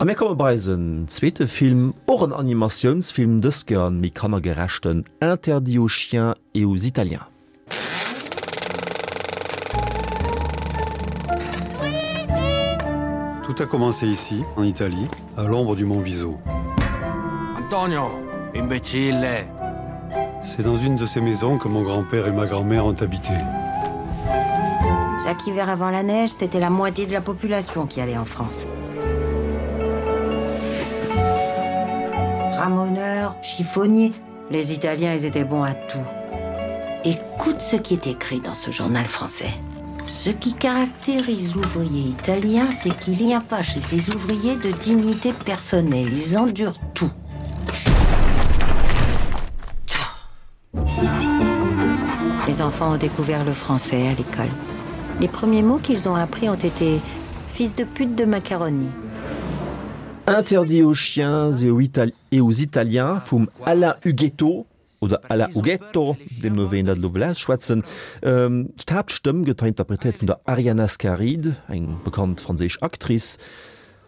A mir komme bei eisen zweete Film, och en Animatiounsfilm, dës Kéier en méi kannergerechten, Interdit aux chiens et aux Italiens. Tout a commencé ici, en Italie, à l'ombre du mont Viso. Antonio, imbécile C'est dans une de ces maisons que mon grand-père et ma grand-mère ont habité. Chaque hiver avant la neige, c'était la moitié de la population qui allait en France. Ramoneurs, chiffonniers, les Italiens ils étaient bons à tout. Écoute ce qui est écrit dans ce journal français. Ce qui caractérise l'ouvrier italien, c'est qu'il n'y a pas chez ces ouvriers de dignité personnelle. Ils endurent tout. Les enfants ont découvert le français à l'école. Les premiers mots qu'ils ont appris ont été fils de pute de macaroni. Interdit aux chiens et aux, Itali et aux Italiens vum Alain Ughetto oder Alain Ughetto, deemno wéi een dat elo wëll ausschwätzen. D'Haaptstëmm gëtt hei interpretéiert vun der Ariane Ascaride, eng bekannt franséisch Actrice.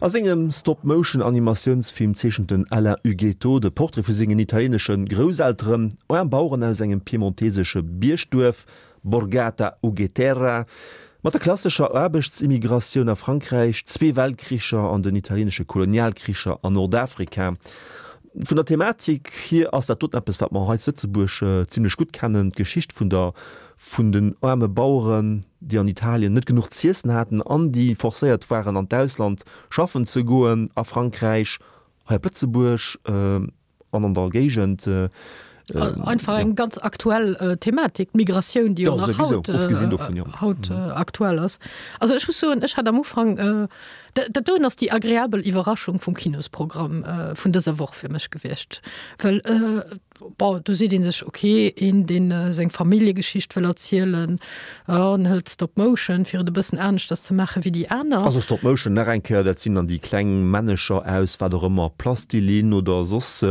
A sengem Stop-Motion-Animatiounsfilm zeechent den Alain Ughetto de Portrait vu sengen italieenesche Grousselteren, aarm Baueren aus engem piemontesesche Biergduerf, Borgata Ugheterra. Mat der klassescher Aarbechtsimmigratioun a Frankräich, zwee Weltkricher an den italieenesche Kolonialkricher an Nordafrika. Vun der Thematik hier ass dat doten eppes, wat mer hei zu Lëtzebuerg zimlech gutt kennen, d'Geschicht vun der vun den aarme Baueren, déi an Italien net genuch z'iessen haten an déi forcéiert waren an d'Ausland schaffen ze goen, a Frankräich, hei op Lëtzebuerg an an der Géigend. Einfach eng ganz aktuell Thematik, d'Migratioun, déi jo nach haut, haut aktuell ass. Also ech muss soen, ech hat am Ufank, dat doen ass déi agreabel Iwwerraschung vum Kinosprogramm vun dëser Woch fir mech gewiescht, well Bon, do seet ee sech, ok, een, deen seng Familljegeschicht wëll erzielen, en hëlt Stop Motion, fir et e bëssen aneschters ze maache wéi déi aner. Also Stop Motion, nach eng Kéier, dat sinn dann déi kleng Männecher aus wat och ëmmer, Plastilin oder soss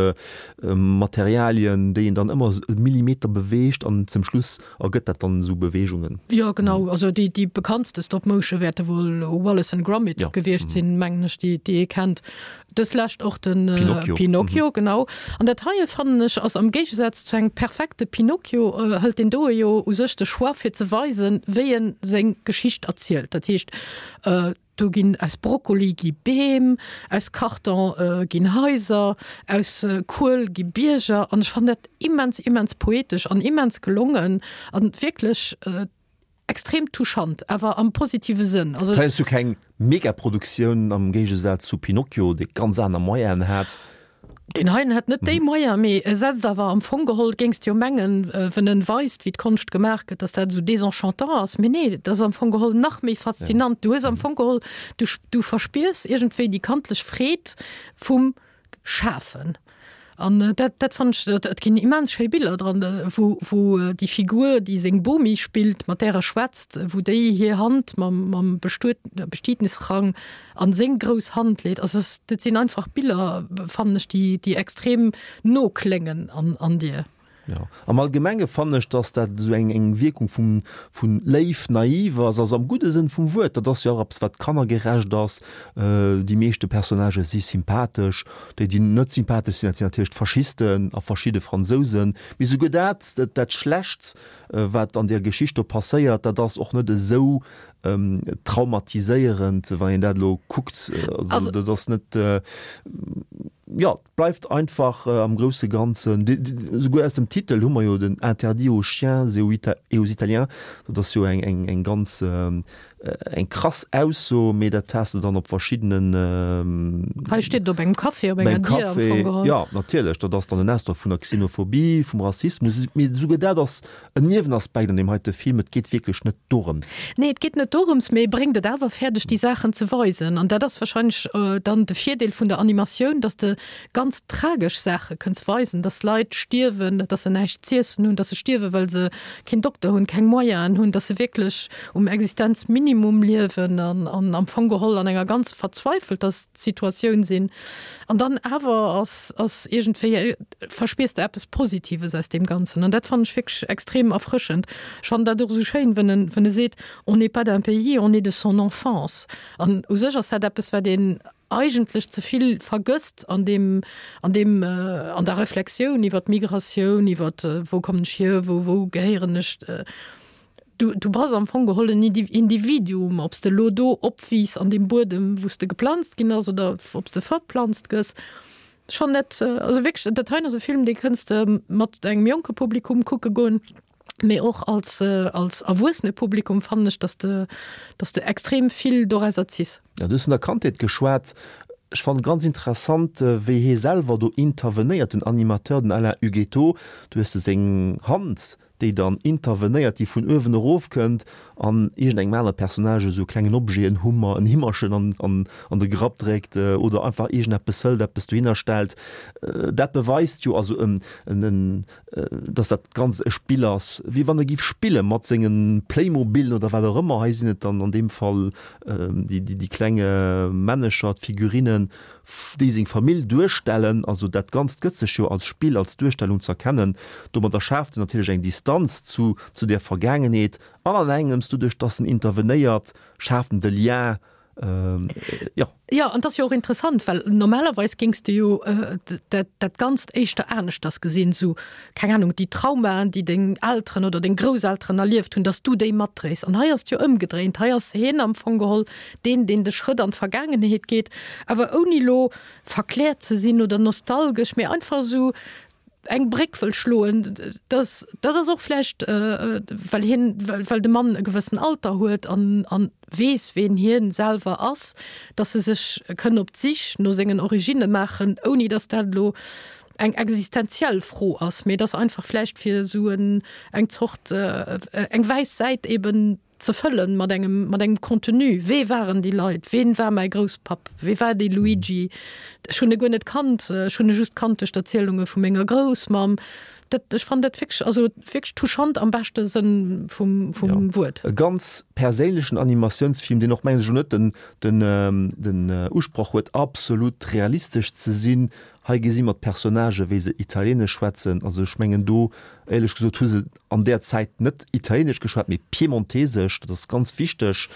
Materialien, déi een dann ëmmer e Millimeter beweegt an zum Schluss ergëtt dat dann esou Beweegungen. Jo, genau. Also déi, déi bekanntste Stop Motion wäerte wuel Wallace and Gromit gewiescht sinn, mengen ech, déi, déi ee kennt. Dës lescht och den Pinocchio, Pinocchio mhm. genau. An dat heie fannen ech ass am Géigesaz zu engem perfekte Pinocchio äh, hëlt den doe jo u sech de Choix fir ze weisen, wéi en seng Geschicht erzielt. Dat heescht äh, do ginn aus Brokkoli gi Beem, aus Karton äh, ginn Haiser, aus äh, Kuel gi Bierger an ech fand dat immens immens poetesch an immens gelongen an wierklech äh, Extrem touchant, awer am positive Sënn. Also. Hei hues du keng Megaproduktioun am Géigesaz zu Pinocchio, dee ganz aner Moyenen hat. Deen heien hat net déi Moyen, mee e setzt awer am Fong geholl, géings de jo mengen, wenn en weist, wéi d'Konscht gemaach gëtt, dass dat esou désenchantant ass. Mee nee, dat ass am Fong geholl nach méi faszinant. Du hues am Fong geholl, du, du verspiers iergendwéi déi kandlech Freed vum Schafen. An dat, dat fannen ech, dat, et ginn immens schéi Biller dran, wou, wou déi Figur, déi seng Bomi spillt, mat där e schwätzt, wou déi hir Hand mam, mam Bestuet, Bestietnisrang an seng grouss Hand leet. Also es, dat sinn einfach Biller, fannen ech, déi, déi extrem no kléngen an, an dir. Jo, am Allgemenge fannen ech, dass dat esou eng eng Wierkung vum vun léif naiv ass, also am gudde Sënn vum Wuert. Dat ass jo och eppes wat kannergerecht ass. Déi meeschte Personnagë si sympathesch. Déi déi net sympathesch sinn, dat sinn natierlech d'Faschisten a verschidde Fransousen. Mee souguer dat, dat Schlechts wat an där Geschicht do passéiert, dat ass och net esou traumatiséierend, wann een dat elo kuckt. Also dat ass net, jo. Bleift einfach am grousse Ganzen, esouguer aus dem Titel hu mer jo den Interdit aux chiens et aux Italiens, dat ass jo eng ganz, eng krass Ausso, mee dat has de dann op verschiddenen. Hei steet et op engem Café, op enger Dier am Fong geholl. Jo, natierlech, dat ass dann en Ausdrock vun der Xenophobie, vum Rassismus, mee esouguer dat ass En Niewenaspekt an deem heite Film, et geet wierklech net dorëms. Nee, et geet net dorëms, mee e bréngt et awer fäerdeg, déi Saachen ze weisen. An dat ass wahrscheinlech dann de Virdeel vun der Animatioun, dass de ganz tragesch Saache kënns weisen, dass Leit stierwen, dass se näischt z'iessen hunn, dass se stierwen, well se keen Dokter hunn, keng Moyenen hunn, dass se wierklech um Existenzminimum liewen an am Fong geholl an enger ganz verzweifelter Situatioun sinn. An dann awer ass, ass iergendwéi, verspiers de eppes Positives aus deem Ganzen. An dat fannen ech wierklech extrem erfrëschend. Ech fannen dat och esou schéin, wenn en, wenn e seet, On n'est pas d'un pays, on est de son enfance. An u sech ass dat eppes, wat een eigentlech ze vill vergësst an deem, an deem, an der Reflexioun iwwer d'Migratioun, iwwer wou kommen ech hier, wou, wou gehéieren ech. Du, du bass am Fong geholl en Individuum, ob s de elo do opwiiss an deem Buedem, wou s de geplanzt ginn ass, oder ob s de verplanzt gëss. Ech fannen dat, also wierklech, dat heien ass e Film, dee kënns de mat engem jonke Publikum kucke goen, mee och als, als erwuessene Publikum fannen ech, dass de, dass de extrem vill dorauser ziss. Ja, du hues vun der Kandheet geschwat. Ech fannen ganz interessant wéi hee selwer do intervenéiert, den Animateur, den Alain Ughetto. Du hues de seng Hand, déi dann intervenéiert, déi vun uewen erof kënnt an iergendengem anere Personnage esou e klengen Objet, en Hummer, en Himmerchen an an an de Grapp dréckt oder einfach iergendeppes hëlt, eppes dohinner stellt. Dat beweist jo also en en en dass dat Ganzt e Spill ass, wéi wann e giff spille mat senge Playmobilen oder wat och ëmmer. Hei sinn et dann an deem Fall déi déi kleng Männecher, d'Figurinen, déi seng Famill duerstellen. Also dat Ganzt gëtt sech jo als Spill, als Duerstellung z'erkennen. Domadder schaaft en natierlech eng Distanz zu zu där Vergaangenheet an an engems, doduerch dass en intervenéiert, schaaft en de Lien Jo. Jo, an 't ass jo och interessant, well normalerweis géings de jo dat, dat Ganzt éischter aneschters gesinn, sou, keng Ahnung, déi Traumaen, déi deng Elteren oder deng Grousselteren erlieft hunn, dass du déi matdréis. An hei ass et jo ëmgedréint, hei ass hien am Fong geholl deen, deen de Schrëtt an d'Vergaangenheet geet, awer ouni lo verkläert ze sinn oder nostalgesch, mee einfach esou eng Bréck wëll schloen, dass dat ass och vläicht well hien, well de Mann e gewëssen Alter huet an an weess ween hien selwer ass, dass e sech kënn op d'Sich no sengen Originne maachen, ouni dass dat elo eng existenziell Fro ass, mee dass einfach vläicht fir esou en eng Zort eng wäiss Säit eben ze fëllen mat engem, mat engem Contenu. Wee waren déi Leit? Ween war mäi Grousspapp? Wee war dee Luigi? Ech hunn e guer net kannt, ech hunn e just kannt duerch d'Erzielunge vu menger Groussmamm. Dat, ech fannen dat wierklech, also wierklech touchant am beschte Sënn vum, vum Ja. Wuert. E ganz perséinlechen Animatiounsfilm, deen och, mengen ech, elo net den, den, den Usproch huet, absolut realistesch ze sinn. Hei gesi mer d'Personnagë wéi se Italienesch schwätzen. Also ech mengen do, éierlech gesot, hu se an där Zäit net Italienesch geschwat, mee Piemontesesch, dat ass ganz wichteg.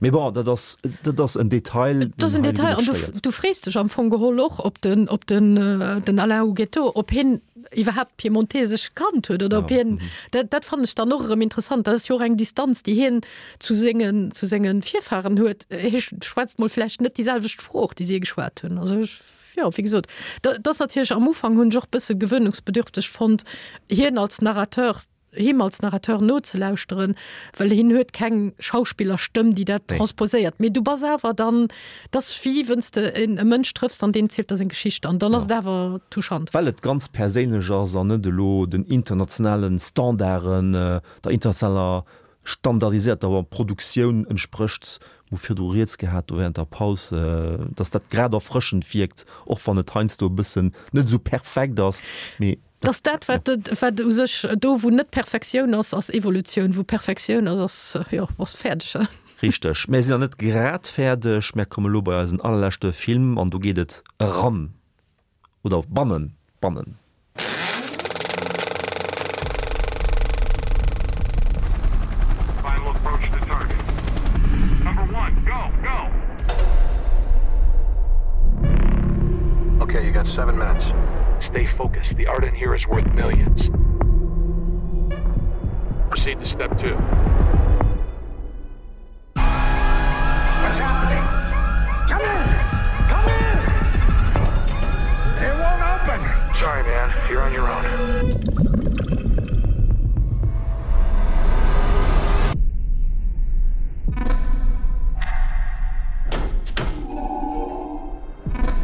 Mee bon, dat ass, dat ass en Detail, Dat ass en deen hei Detail an net du, stéiert. du frees dech am Fong geholl och, ob den, ob den, den Alain Ughetto, ob hien iwwerhaapt Piemontesesch kannt huet oder ob hien, dat, dat fannen ech dann och erëm interessant. Dat ass jo och eng Distanz, déi hien zu sengen, zu senge Virfahren huet. Hie schwätzt mol vläicht net déi selwecht Sprooch, déi si geschwat hunn. Also ech, jo, wéi gesot, dat ass natierlech am Ufank hunn ech och bësse gewöhnungsbedürfteg fonnt, hien als Narrateur, him als Narrateur nozelauschteren, well hien huet keng Schauspillerstëmm, déi dat transposéiert. Mee du bass awer dann, dat ass wéi wënn s de en e Mënsch trëffs an deen zielt der seng Geschicht an dann ass et awer touchant. Well et ganz perséinlech ass an net elo den internationalen Standarden, der internationaler standardisierter Produktioun entsprécht. Mir hu virdru rieds gehat do während der Paus, dass dat grad erfrëschend wierkt, och wann et heiansdo e bëssen net esou perfekt ass, mee Dass dat, wat wat u sech do, wou net Perfektioun ass, ass Evolutioun, wou Perfektioun ass, ass, jo, bass fäerdeg. Richteg. Mär sinn nach net grad fäerdeg. Mär komme lo bei eisen allerleschte Film an do geet et eran oder bannen, bannen. Okay, you got seven minutes. Stay focused. The art in here is worth millions. Proceed to step two. What's happening? Come in! Come in! It won't open! Sorry, man. You're on your own.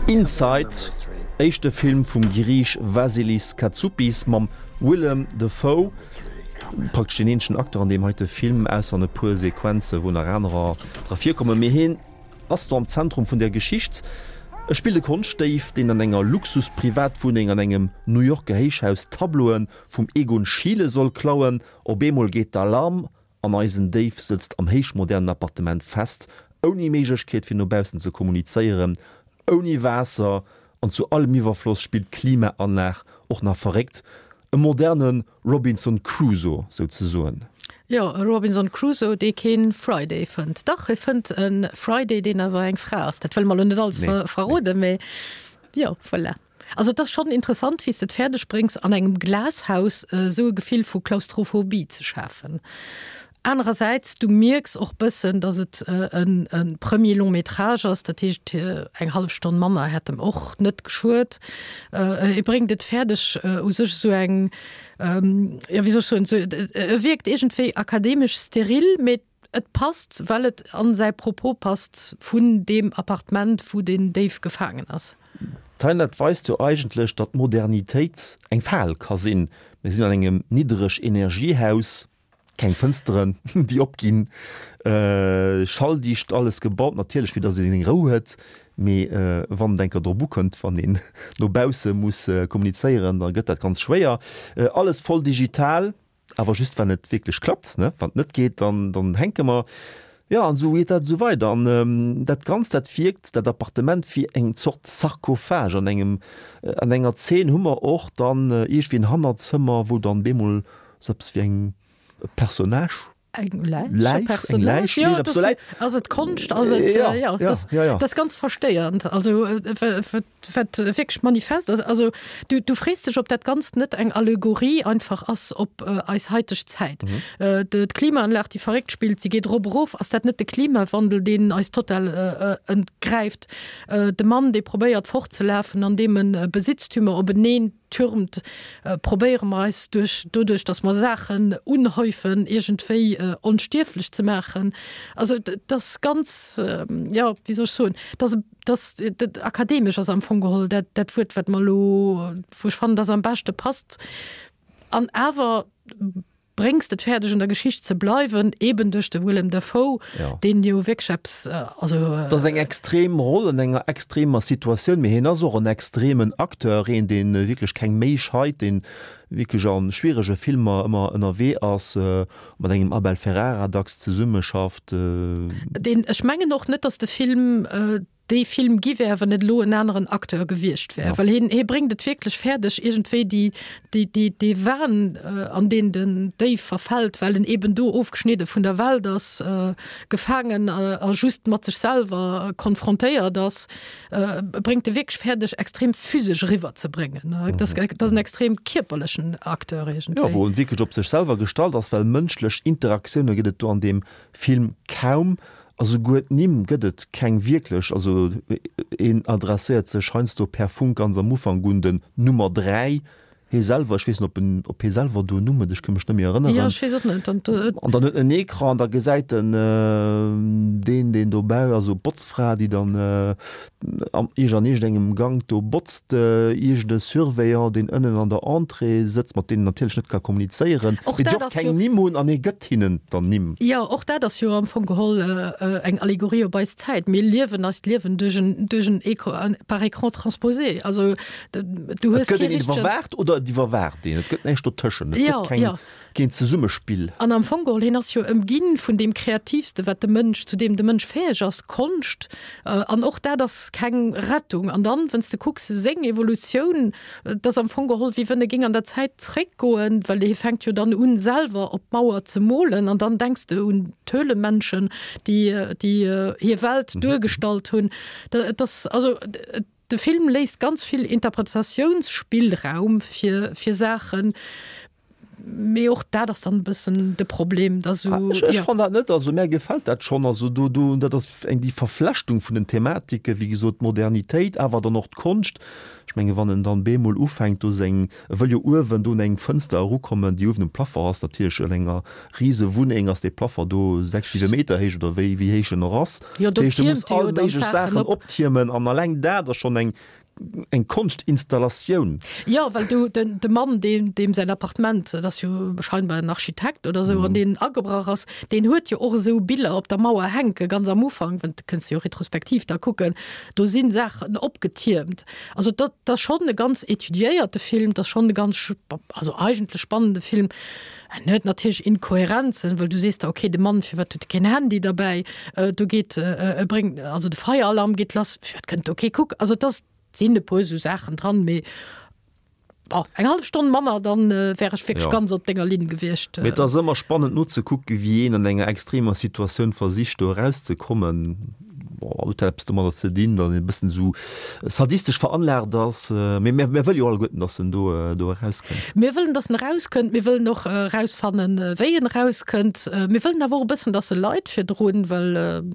Inside, éischte Film vum Griich Vasilis Katsoupis mam Willem Dafoe. Praktesch deen eenzegen Acteur an deem heite Film, ausser an e puer Sequenze wou nach anerer dra virkommen. Mee hien ass do am Zentrum vun der Geschicht. E spillt e Konschtdéif, deen an enger Luxus-Privatwunneng an engem New Yorker Héichhaus Tableaue vum Egon Schiele soll klauen. Op eemol geet d'Alarm an eisen Déif sëtzt am héichmodernen Appartement fest, ouni Méiglechkeet fir no baussen ze kommunizéieren, ouni Waasser an zu allem Iwwerfloss spillt d'Klimaanlag och nach verréckt. E moderne Robinson Crusoe souzesoen. Jo, e Robinson Crusoe, dee kee Friday fënnt. Dach, e fënnt e Friday, deen awer eng Fra ass. Dat wëlle mer elo net alles verroden, mee jo, voilà. Also et ass schonn interessant, wéi s de et fäerdeg bréngs, an engem Glashaus esou e Gefill vu Klaustrophobie ze schafen. Anerersäits, du mierks och bëssen, datt et e Premier long métrage ass, dat heescht eng hallef Stonn manner hätt em och net geschuet. E bréngt et fäerdeg u sech esou eng, jo wéi soll ech soen, e wierkt iergendwéi akademesch steril, mee. Et passt, well et an säi Propos passt vun deem Appartement, wou den Déif gefaangen ass. D'Teinert weist jo eigentlech, datt Modernitéit eng Fal ka sinn. Mir sinn an engem Niddreg-Energie-Haus, keng Fënsteren, déi opginn, schalldicht alles gebaut, natierlech fir datt ee seng Rou huet, mee wann et eng Kéier drop ukënnt, wann een no bausse muss kommunizéieren, da gëtt dat ganz schwéier. Alles voll digital. Awer just wann et wierklech klappt, ne? Wann et net geet, dann, dann hänke mer. Jo, an esou geet dat esou weider. An dat Ganzt, dat wierkt, dat Appartement, wéi eng Zort Sarkophag. An engem, an enger Zeen hu mer och dann iergendwéi en Hannerzëmmer, wou dann bemol esou eppes wéi eng, e Personnage, Eng Läich, e Läich, eng Personnage, Läich, jo, iergendepps dat esou läit. ass et Konscht, ass et, Ja, jo, ja, dat, ja, ja. dat ass ganz verstéiernd. Also, wat, Wat wierklech manifest ass, also du, du frees dech, ob dat Ganzt net eng Allegorie einfach ass op eis haiteg Zäit. D'Klimaanlag, déi verréckt spillt, si geet erop, erof. Ass dat net de Klimawandel, deen eis total entgräift? De Mann, dee probéiert fortzelafen, an deem e Besitztümer openeen türmt, probéiere mer eis duerch, doduerch, datt mer Saachen unhäufen, iergendwéi onstierflech ze maachen. Also dat ass ganz, jo, wéi soll ech soen, dat ass e Dass dat akademesch ass am Fong geholl dat, dat Wuert, wat mer elo, wou ech fannen, dass am beschte passt. An awer bréngs de et fäerdeg, an der Geschicht ze bleiwen, eben duerch de Willem Dafoe, Ja. deen jo wierklech eppes, also. Dat ass eng extrem Roll an enger extremer Situatioun, mee hien ass och en extremen Acteur, een, dee wierklech keng Méi scheit, dee wierklech a schwierege Filmer ëmmer ënnerwee ass. Mat engem Abel Ferrara dacks zesummeschafft. Deen, ech mengen och net, datt de Film dee Film gi wär, wann net elo en aneren Acteur gewiescht wär, well hien, hie bréngt et wierklech fäerdeg, iergendwéi déi, déi, déi, dee Wahn, an deen den Déif verfält, well en eben do ofgeschnidde vun der Welt ass, gefaangen a just mat sech selwer konfrontéiert ass. Bréngt e wierklech fäerdeg, extrem physesch eriwwer ze bréngen. Dat ass en extrem kierperlechen Acteur iergendwéi. Jo, wou en wierklech op sech selwer gestallt ass, well mënschlech Interaktioune gëtt et do an deem Film kaum. A souguer d'Nimm gëtt et keng wierklech. Also een adresséiert sech heiansdo per Funk ganz am Ufank un den Nummer 3, Hie selwer, ech weess net, ob en, ob hie selwer do en Numm huet, ech ka mech net méi erënneren. Jo, ech weess och net. An, an dann huet en en Ecran an da gesäit en deen, deen dobäi, also d'Botzfra, déi dann am iergend an iergendengem Gank do botzt, iergend e Surveillant, deen ënnen an der Entrée sëtzt, mat deem en natierlech net ka kommunizéieren, Och mee déi dat och ass keng jo. Nimm hunn an hie gëtt hinnen dann Nimm. Jo, och dat ass jo am Fong geholl eng Allegorie op eis Zäit. Mir liewen eist Liewen duerch en, duerch en Écran, par écran transposé. Also Du hues et gëtt een iwwerwaacht oder et iwwerwaacht een. Et gëtt näischt dotëschent. Et ja, gëtt keng, ja. keen Zesummespill. An am Fong geholl, hien ass jo ëmginn vun deem Kreativste, wat de Mënsch, zu deem de Mënsch fäeg ass, Konscht. An och dat ass keng Rettung. An dann, wann s de kucks, seng Evolutioun, et ass am Fong geholl, wéi wënn e géing an der Zäit zréckgoen, well hie fänkt jo dann un, selwer op d'Mauer ze molen. An dann denks de un d'Höhlemenschen, déi, déi hir Welt duergestallt hunn. Dat ass, also, et. De Film léisst ganz vill Interpretatiounsspillraum fir fir Saachen, mee och dat ass dann e bëssen de Problem, dass esou, Ech, ech jo. fann dat net, also mär gefält dat schonn, also do, do, dat ass eng déi Verflechtung vun den Thematike, wéi gesot d'Modernitéit, awer dann och d'Konscht. Ech menge wann en dann bemol ufänkt do seng, e wëll jo uewen do un eng Fënster erukommen, déi uewen um Plafond ass, natierlech an enger rise Wunneng ass dee Plafond do 6, 7 Meter héich oder wéi, wéi héich en och ass. Jo, do Dat heescht, e muss tiermt e all jo dann méiglech d'Saachen Saachen op. optiermen an alleng dat ass schonn eng, eng Konschtinstallatioun. Jo, well du, den, de Mann, deen, deem säin Appartement, dat ass jo scheinbar en Architekt oder esou, an deen agebrach ass, deen huet jo och esou Biller op der Mauer hänken, ganz am Ufank, well dat kënns de jo retrospektiv da kucken, do si Saachen opgetiermt. Also dat, dat ass schonn e ganz étudiéierte Film, dat ass schonn e ganz, also eigentlech spannende Film. En huet natierlech Inkohärenzen, well du sees der, okay, de Mann, firwat huet e keen Handy derbäi? Do geet, e bréngt, also de Feieralarm geet lass, firwat kënnt do kee kucken? Also et ass, sinn e puer esou Saachen dran, mee bon, eng hallef Stonn manner, dann wär ech wierklech Jo. ganz op denger Linn gewiescht. Mee et ass ëmmer spannend nozekucken, wéi een an enger extremer Situatioun versicht do erauszekommen. Bon, huet dat eppes domadder ze dinn, datt een e bëssen esou sadistesch veranlaagt ass? Mee mir, mir wëlle jo alleguerten, datt en do, do erauskënnt. Mir wëllen, datt en erauskënnt. Mir wëllen och erausfannen, wéi en erauskënnt. Mir wëllen awer och e bëssen, datt e leit virdrun, well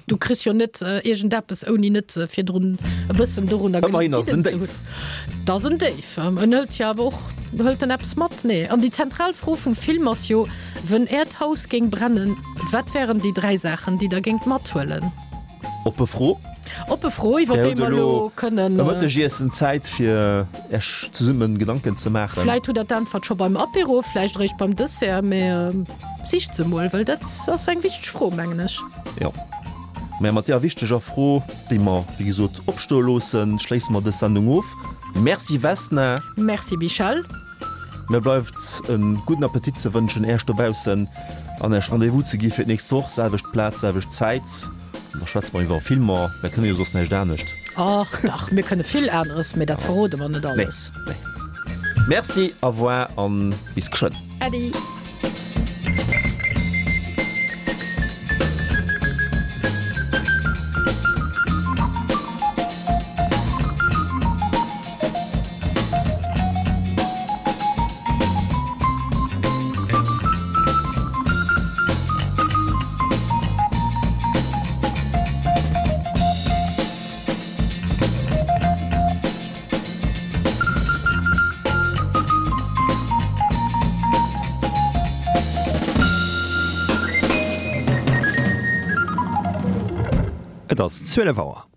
du kriss jo net iergendeppes, ouni net virdrun e bëssen dorunner Ëmmerhin ass et en gelidden ze Déif. hunn. Et ass en Déif. En hëlt jo awer och, hëlt en eppes mat? Nee. An déi zentral Fro vum Film ass jo, Wenn Äert Haus géing brennen, wat wären déi 3 Saachen, déi Der géingt mathuelen? Oppe Fro. Oppe Fro, iwwer déi mer elo kënnen. E Mëttegiessen Zäit, fir Äech zesummen Gedanken ze maachen. Vläit hutt Der d'Äntwert scho beim Apéro, vläicht eréischt beim Dessert, mä sicht se mol, well dat ass eng wichteg Fro, mengen ech. Jo. Mä mat deeër wichteger Fro, déi mer, wéi gesot, opstoe loossen, schléisse mer dës Sendung of. Merci Vesna. Merci Michèle. Mir bleift e gudden Appetit ze wënschen Äech dobaussen an Äech Rendez-vous ze gi fir d'nächst Woch, selwecht Plaz, selwecht Zäit. An da schwätze mer iwwer Filmer. Mir kënne jo soss näischt anescht. Ach dach, mir kënne vill aneres, mee dat verrode mer net alles. Nee, nee. Merci, au revoir an bis geschwënn. Äddi. Et ass 12 Auer.